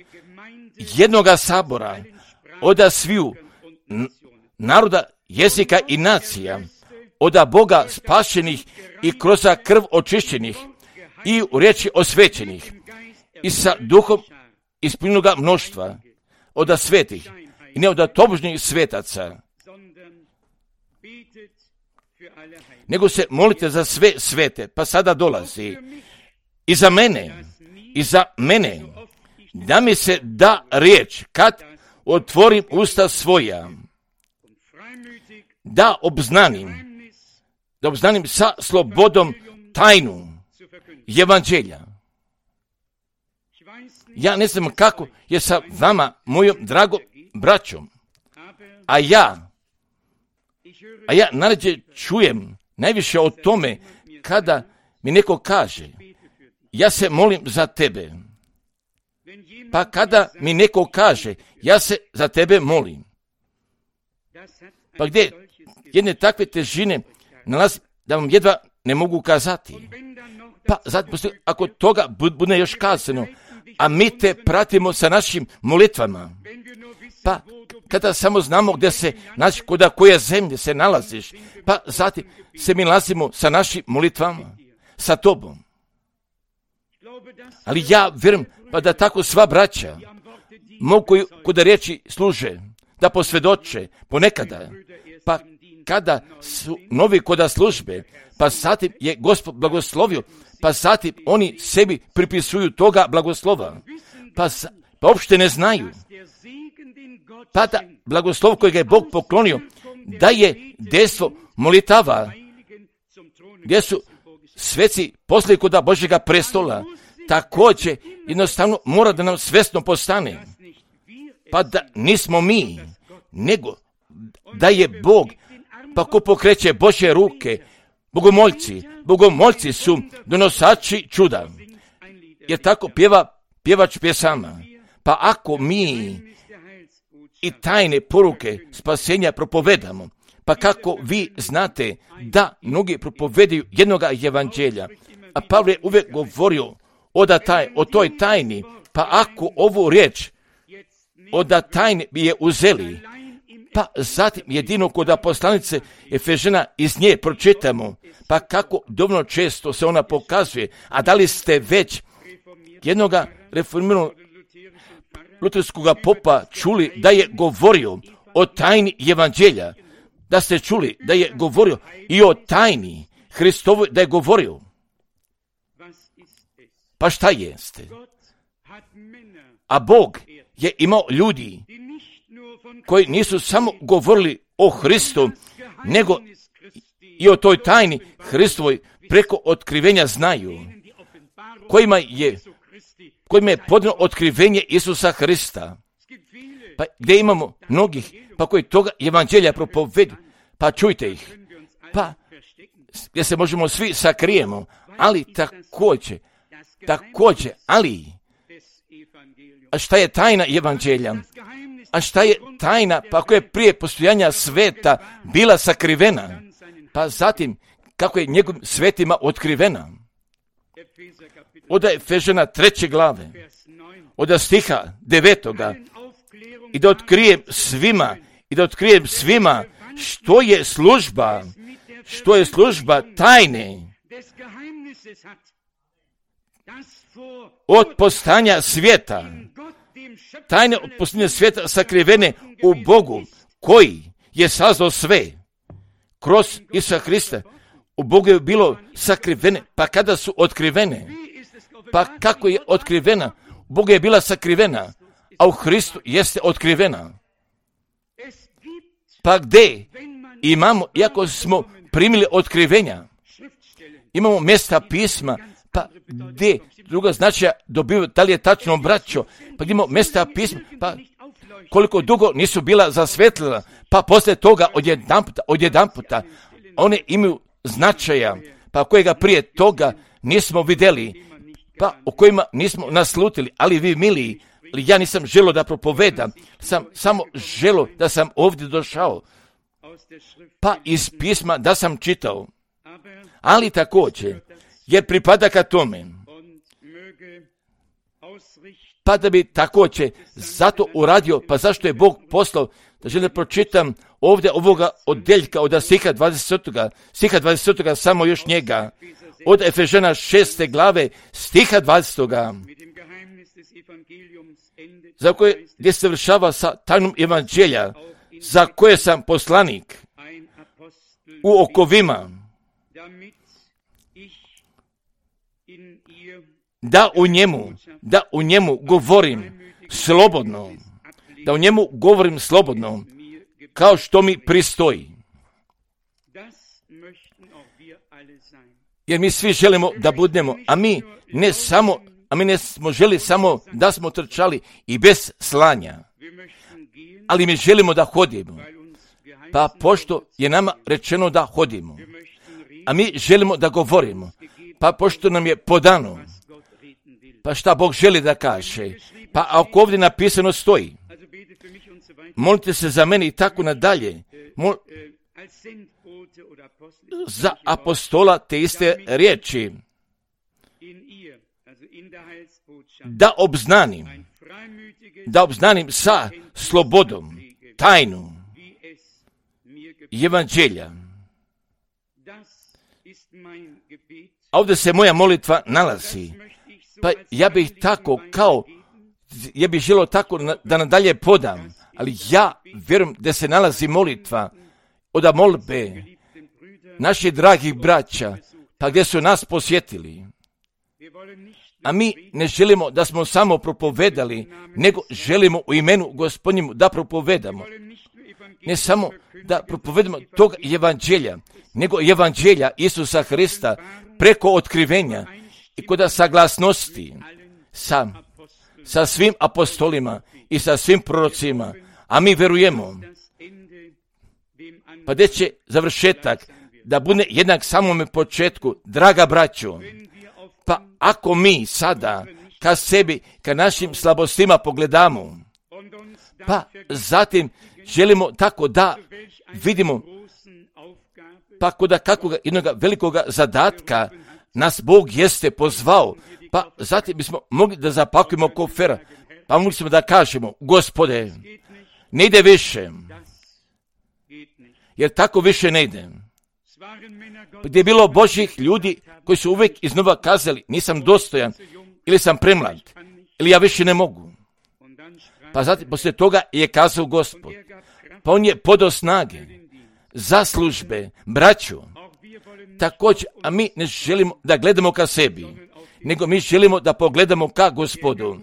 jednoga sabora, oda sviju naroda, jezika i nacija, oda Boga spašenih i kroz krv očišćenih i u riječi osvećenih i sa duhom ispunjenoga mnoštva, oda svetih i ne oda tobožnjih svetaca, nego se molite za sve svete. Pa sada dolazi i za mene, i za mene, da mi se da riječ kad otvorim usta svoja, da obznanim, da obznanim sa slobodom tajnu evanđelja. Ja ne znam kako je sa vama, mojom dragom braćom, a ja, a ja najrađe čujem najviše o tome kada mi neko kaže, ja se molim za tebe. Pa kada mi neko kaže, ja se za tebe molim. Pa gdje jedne takve težine nalazi da vam jedva ne mogu kazati. Pa zato ako toga bude još kazano, a mi te pratimo sa našim molitvama, pa kada samo znamo gdje se, znači kod koje zemlje se nalaziš, pa zatim se mi nalazimo sa našim molitvama, sa tobom. Ali ja vjerujem pa da tako sva braća mogu kod riječi služe, da posvjedoče ponekada, pa kada su novi koda službe, pa zatim je Gospod blagoslovio, pa zatim oni sebi pripisuju toga blagoslova, pa, pa uopšte ne znaju. Pa da blagoslov kojeg je Bog poklonio, da je dejstvo molitava, gdje su sveci poslije koda Božjega prestola, također jednostavno mora da nam svjesno postane. Pa da nismo mi, nego da je Bog, pa ko pokreće Božje ruke, bogomoljci, bogomoljci su donosači čuda. Jer tako pjeva pjevač pjesama. Pa ako mi i tajne poruke spasenja propovedamo, pa kako vi znate da mnogi propovedaju jednoga evanđelja, a Pavle je uvijek govorio o, da taj, o toj tajni, pa ako ovu riječ o da tajni bi je uzeli, pa zatim jedino kod poslanice Efežana iz nje pročitamo, pa kako dovoljno često se ona pokazuje, a da li ste već jednoga reformiranog luterskog popa čuli da je govorio o tajni evanđelja, da ste čuli da je govorio i o tajni Hristovoj, da je govorio. Pa šta jeste? A Bog je imao ljudi koji nisu samo govorili o Hristu, nego i o toj tajni Hristovoj preko otkrivenja znaju, kojima je, kojima je podano otkrivenje Isusa Hrista. Pa gdje imamo mnogih, pa koji toga evanđelja propovedu, pa čujte ih. Pa gdje se možemo svi sakrijemo, ali također, također, ali, a šta je tajna evanđelja? A šta je tajna, pa ako je prije postojanja sveta bila sakrivena, pa zatim kako je njegovim svetima otkrivena? Oda Efežana treće glave, oda stiha devetoga, i da otkrijem svima, i da otkrijem svima što je služba, što je služba tajne od postanja svijeta, tajne od postanja svijeta sakrivene u Bogu, koji je sazdao sve kroz Isusa Hrista. U Bogu je bilo sakrivene, pa kada su otkrivene, pa kako je otkrivena? U Bogu je bila sakrivena, a u Hristu jeste otkrivena. Pa gdje imamo, iako smo primili otkrivenja, imamo mjesta pisma, Pa gdje druga značaja dobiju, da li je tačno braćo, pa gdje imamo mjesta pisma, pa koliko dugo nisu bila zasvetlila, pa poslije toga odjedanputa, odjedanputa, one imaju značaja, pa kojega prije toga nismo vidjeli, pa o kojima nismo naslutili, ali vi miliji, ja nisam želio da propovedam, sam samo želio da sam ovdje došao, pa iz pisma da sam čitao, ali također, jer pripada ka tome, pa da bi također zato uradio, pa zašto je Bog poslao, da želim da pročitam ovdje ovoga odjeljka od stiha dvadesetog. stiha dvadesetog samo još njega, od Efežana šeste glave, stiha dvadesetog. Za koje gdje se vršava sa tajnom evanđelja, za koje sam poslanik u okovima, da u njemu, da u njemu govorim slobodno, da u njemu govorim slobodno, kao što mi pristoji. Jer mi svi želimo da budemo, a mi ne samo, a mi ne smo želi samo da smo trčali i bez slanja, ali mi želimo da hodimo. Pa pošto je nama rečeno da hodimo, a mi želimo da govorimo, pa pošto nam je podano, pa šta Bog želi da kaže, pa ako ovdje napisano stoji, molite se za mene i tako nadalje, Mol, za apostola te iste riječi, da obznanim, da obznanim sa slobodom tajnu evanđelja. A ovdje se moja molitva nalazi. Pa ja bih tako kao, ja bih želio tako da nadalje podam, ali ja vjerujem da se nalazi molitva od molbe naših dragih braća, pa gdje su nas posjetili. A mi ne želimo da smo samo propovedali, nego želimo u imenu Gospodnjemu da propovedamo. Ne samo da propovedamo tog evanđelja, nego evanđelja Isusa Hrista preko otkrivenja i kod saglasnosti sa, sa svim apostolima i sa svim prorocima. A mi verujemo, pa gdje će završetak da bude jednak samome početku, draga braćo. Pa ako mi sada ka sebi, ka našim slabostima pogledamo, pa zatim želimo tako da vidimo, pa kod kakvog jednog velikoga zadatka nas Bog jeste pozvao, pa zatim bismo mogli da zapakujemo kofera, pa mogli smo da kažemo, Gospode, ne ide više, jer tako više ne ide. Gdje je bilo Božjih ljudi koji su uvijek iznova kazali, nisam dostojan, ili sam premlad, ili ja više ne mogu. Pa zatim poslije toga je kazao Gospod, pa on je podao snage za službe, braću. Također, a mi ne želimo da gledamo ka sebi, nego mi želimo da pogledamo ka Gospodu,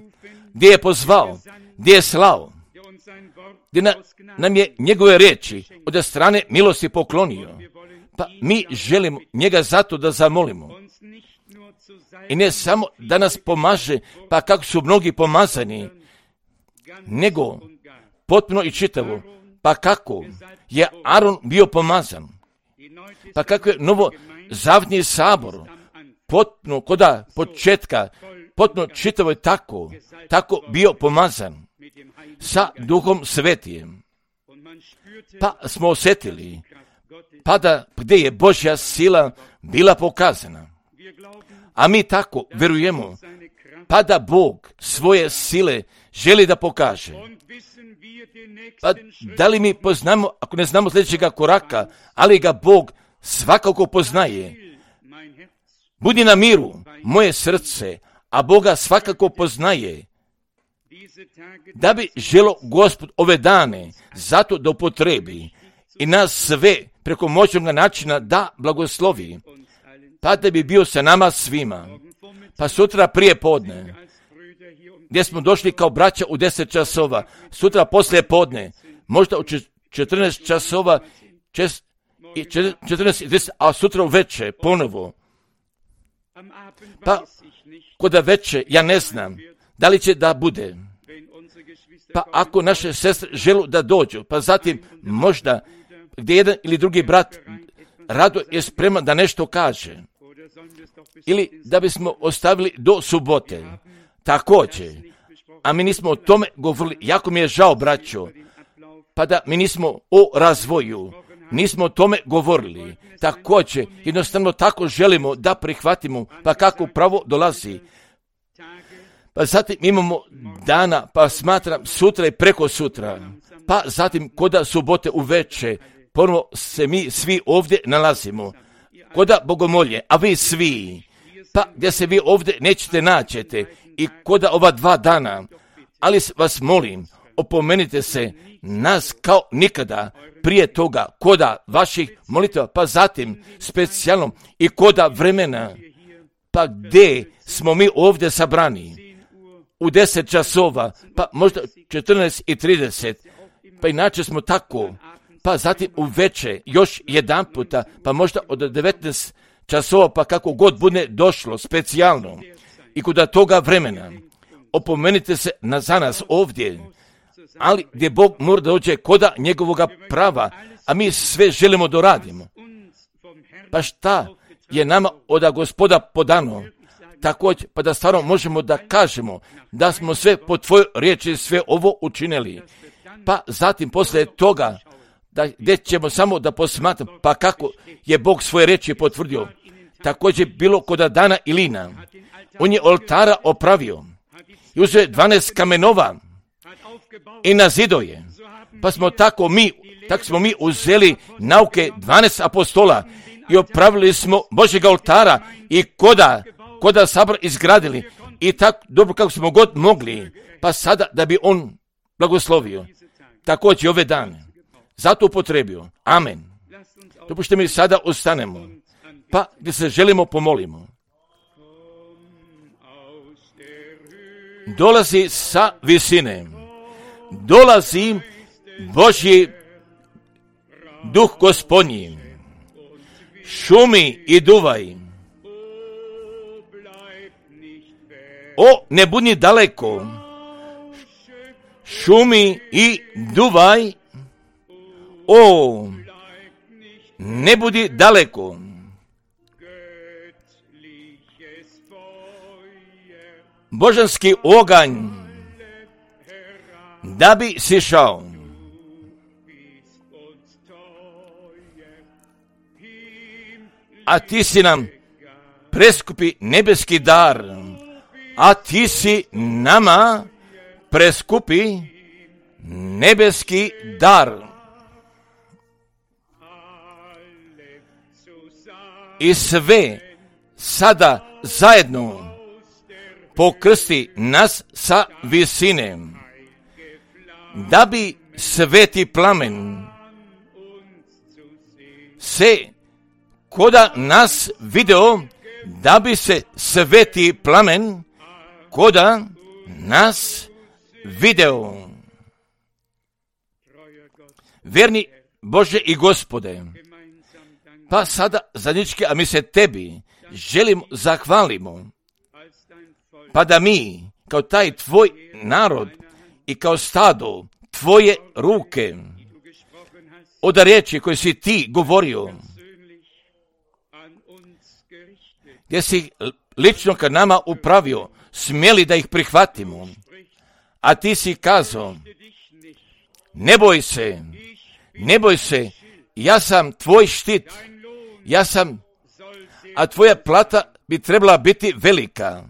gdje je pozvao, gdje je slao, gdje na, nam je njegove riječi od strane milosti poklonio. Pa mi želimo njega zato da zamolimo. I ne samo da nas pomaže, pa kako su mnogi pomazani, nego potpuno i čitavo, pa kako je Aron bio pomazan, pa kako je novo zavjetni sabor, potpuno koda početka, potpuno čitavo je tako, tako bio pomazan sa Duhom Svetijem. Pa smo osjetili, pa da gdje je Božja sila bila pokazana. A mi tako verujemo, pa da Bog svoje sile želi da pokaže. Pa da li mi poznamo, ako ne znamo sljedećega koraka, ali ga Bog svakako poznaje. Budi na miru, moje srce, a Boga svakako poznaje. Da bi želo Gospod ove dane zato da upotrebi i nas sve preko moćnog načina da blagoslovi, pa da bi bio sa nama svima. Pa sutra prije podne, gdje smo došli kao braća u deset časova, sutra poslije podne, možda u četrnaest časova, četrnaest i deset, a sutra u večer ponovo. Pa kod veće, ja ne znam, da li će da bude. Pa ako naše sestre žele da dođu, pa zatim možda gdje jedan ili drugi brat rado je spreman da nešto kaže. Ili da bismo ostavili do subote. Također. A mi nismo o tome govorili. Jako mi je žao, braćo. Pa da mi nismo o razvoju. Nismo o tome govorili. Također. Jednostavno tako želimo da prihvatimo. Pa kako pravo dolazi. Pa zatim imamo dana, pa smatram sutra i preko sutra. Pa zatim koda subote uveče. Ponovo se mi svi ovdje nalazimo. Koda bogomolje, a vi svi. Pa gdje se vi ovdje nećete naćete. I koda ova dva dana. Ali vas molim, opomenite se nas kao nikada prije toga, koda vaših molitva, pa zatim specijalno i koda vremena, pa gdje smo mi ovdje sabrani, u deset časova, pa možda četrnaest i trideset, pa inače smo tako, pa zatim u veče, još jedan puta, pa možda od devetnaest časova, pa kako god bude došlo, specijalno, i koda toga vremena, opomenite se na, za nas ovdje, ali gdje Bog mora dođe koda njegovoga prava, a mi sve želimo da radimo. Pa šta je nama od Gospoda podano? Također, pa da stvarno možemo da kažemo da smo sve po tvojoj riječi sve ovo učinili. Pa zatim poslije toga, da, gdje ćemo samo da posmatramo, pa kako je Bog svoje riječi potvrdio. Također bilo koda Dana i Lina. On je oltara opravio. I uzeo je dvanaest kamenova i na zidoje. Pa smo tako mi, tako smo mi uzeli nauke dvanaest apostola i opravili smo Božjeg oltara i koda, koda sabor izgradili i tako dobro kako smo god mogli, pa sada da bi on blagoslovio. Također ove dane. Zato upotrebio. Amen. Dopušte mi sada ostanemo. Pa gdje se želimo pomolimo. Dolazi sa visine. Dolazi Božji duh Gospodnji. Šumi i duvaj. O, ne budi daleko. Šumi i duvaj. O, ne budi daleko. Božanski oganj da bi sišao. A ti si nam preskupi nebeski dar. A ti si nama preskupi nebeski dar. I sve sada zajedno pokrsti nas sa visine, da bi sveti plamen se koda nas video, da bi se sveti plamen koda nas video. Verni Bože i Gospode, pa sada zajednički, a mi se tebi želimo zahvalimo, pa da mi, kao taj tvoj narod i kao stado tvoje ruke, od riječi koje si ti govorio, gdje si lično kad nama upravio, smjeli da ih prihvatimo, a ti si kazao, ne boj se, ne boj se, ja sam tvoj štit, ja sam, a tvoja plata bi trebala biti velika.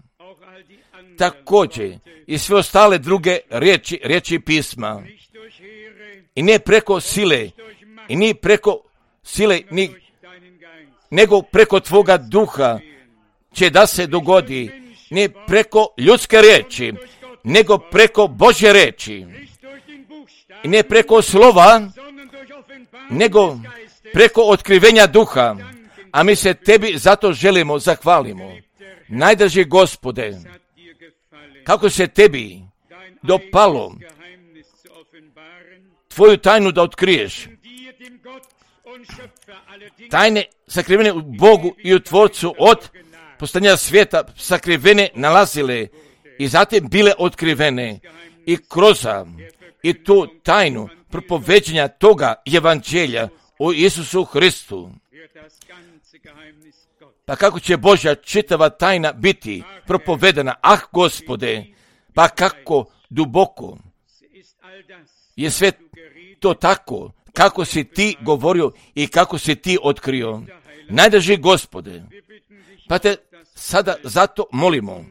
Također i sve ostale druge riječi, riječi pisma. I ne preko sile, i ni preko sile, ni, nego preko tvoga duha će da se dogodi. Ne preko ljudske riječi, nego preko Božje riječi. I ne preko slova, nego preko otkrivenja duha. A mi se tebi zato želimo, zahvalimo. Najdraži Gospode, kako se tebi dopalo tvoju tajnu da otkriješ. Tajne sakrivene u Bogu i u Tvorcu od postanja svijeta sakrivene nalazile i zatim bile otkrivene i kroz i tu tajnu propoveđenja toga evanđelja o Isusu Hristu. Pa kako će Božja čitava tajna biti propovedana? Ah, Gospode, pa kako duboko je sve to tako, kako si ti govorio i kako si ti otkrio. Najdraži Gospode, pa te sada zato molimo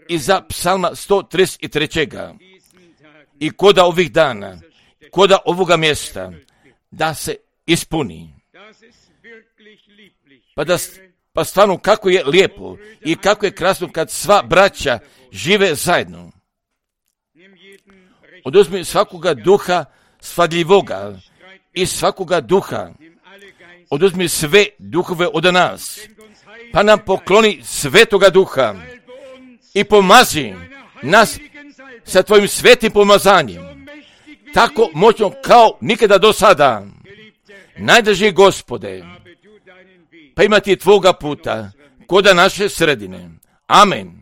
i za psalma sto trideset tri. I koda ovih dana, koda ovoga mjesta, da se ispuni. Pa da pa stvarno kako je lijepo i kako je krasno kad sva braća žive zajedno. Oduzmi svakoga duha svadljivoga i svakoga duha. Oduzmi sve duhove od nas, pa nam pokloni svetoga duha i pomazi nas sa tvojim svetim pomazanjem, tako moćno kao nikada do sada. Najdraži Gospode, pa imati tvoga puta koda naše sredine. Amen.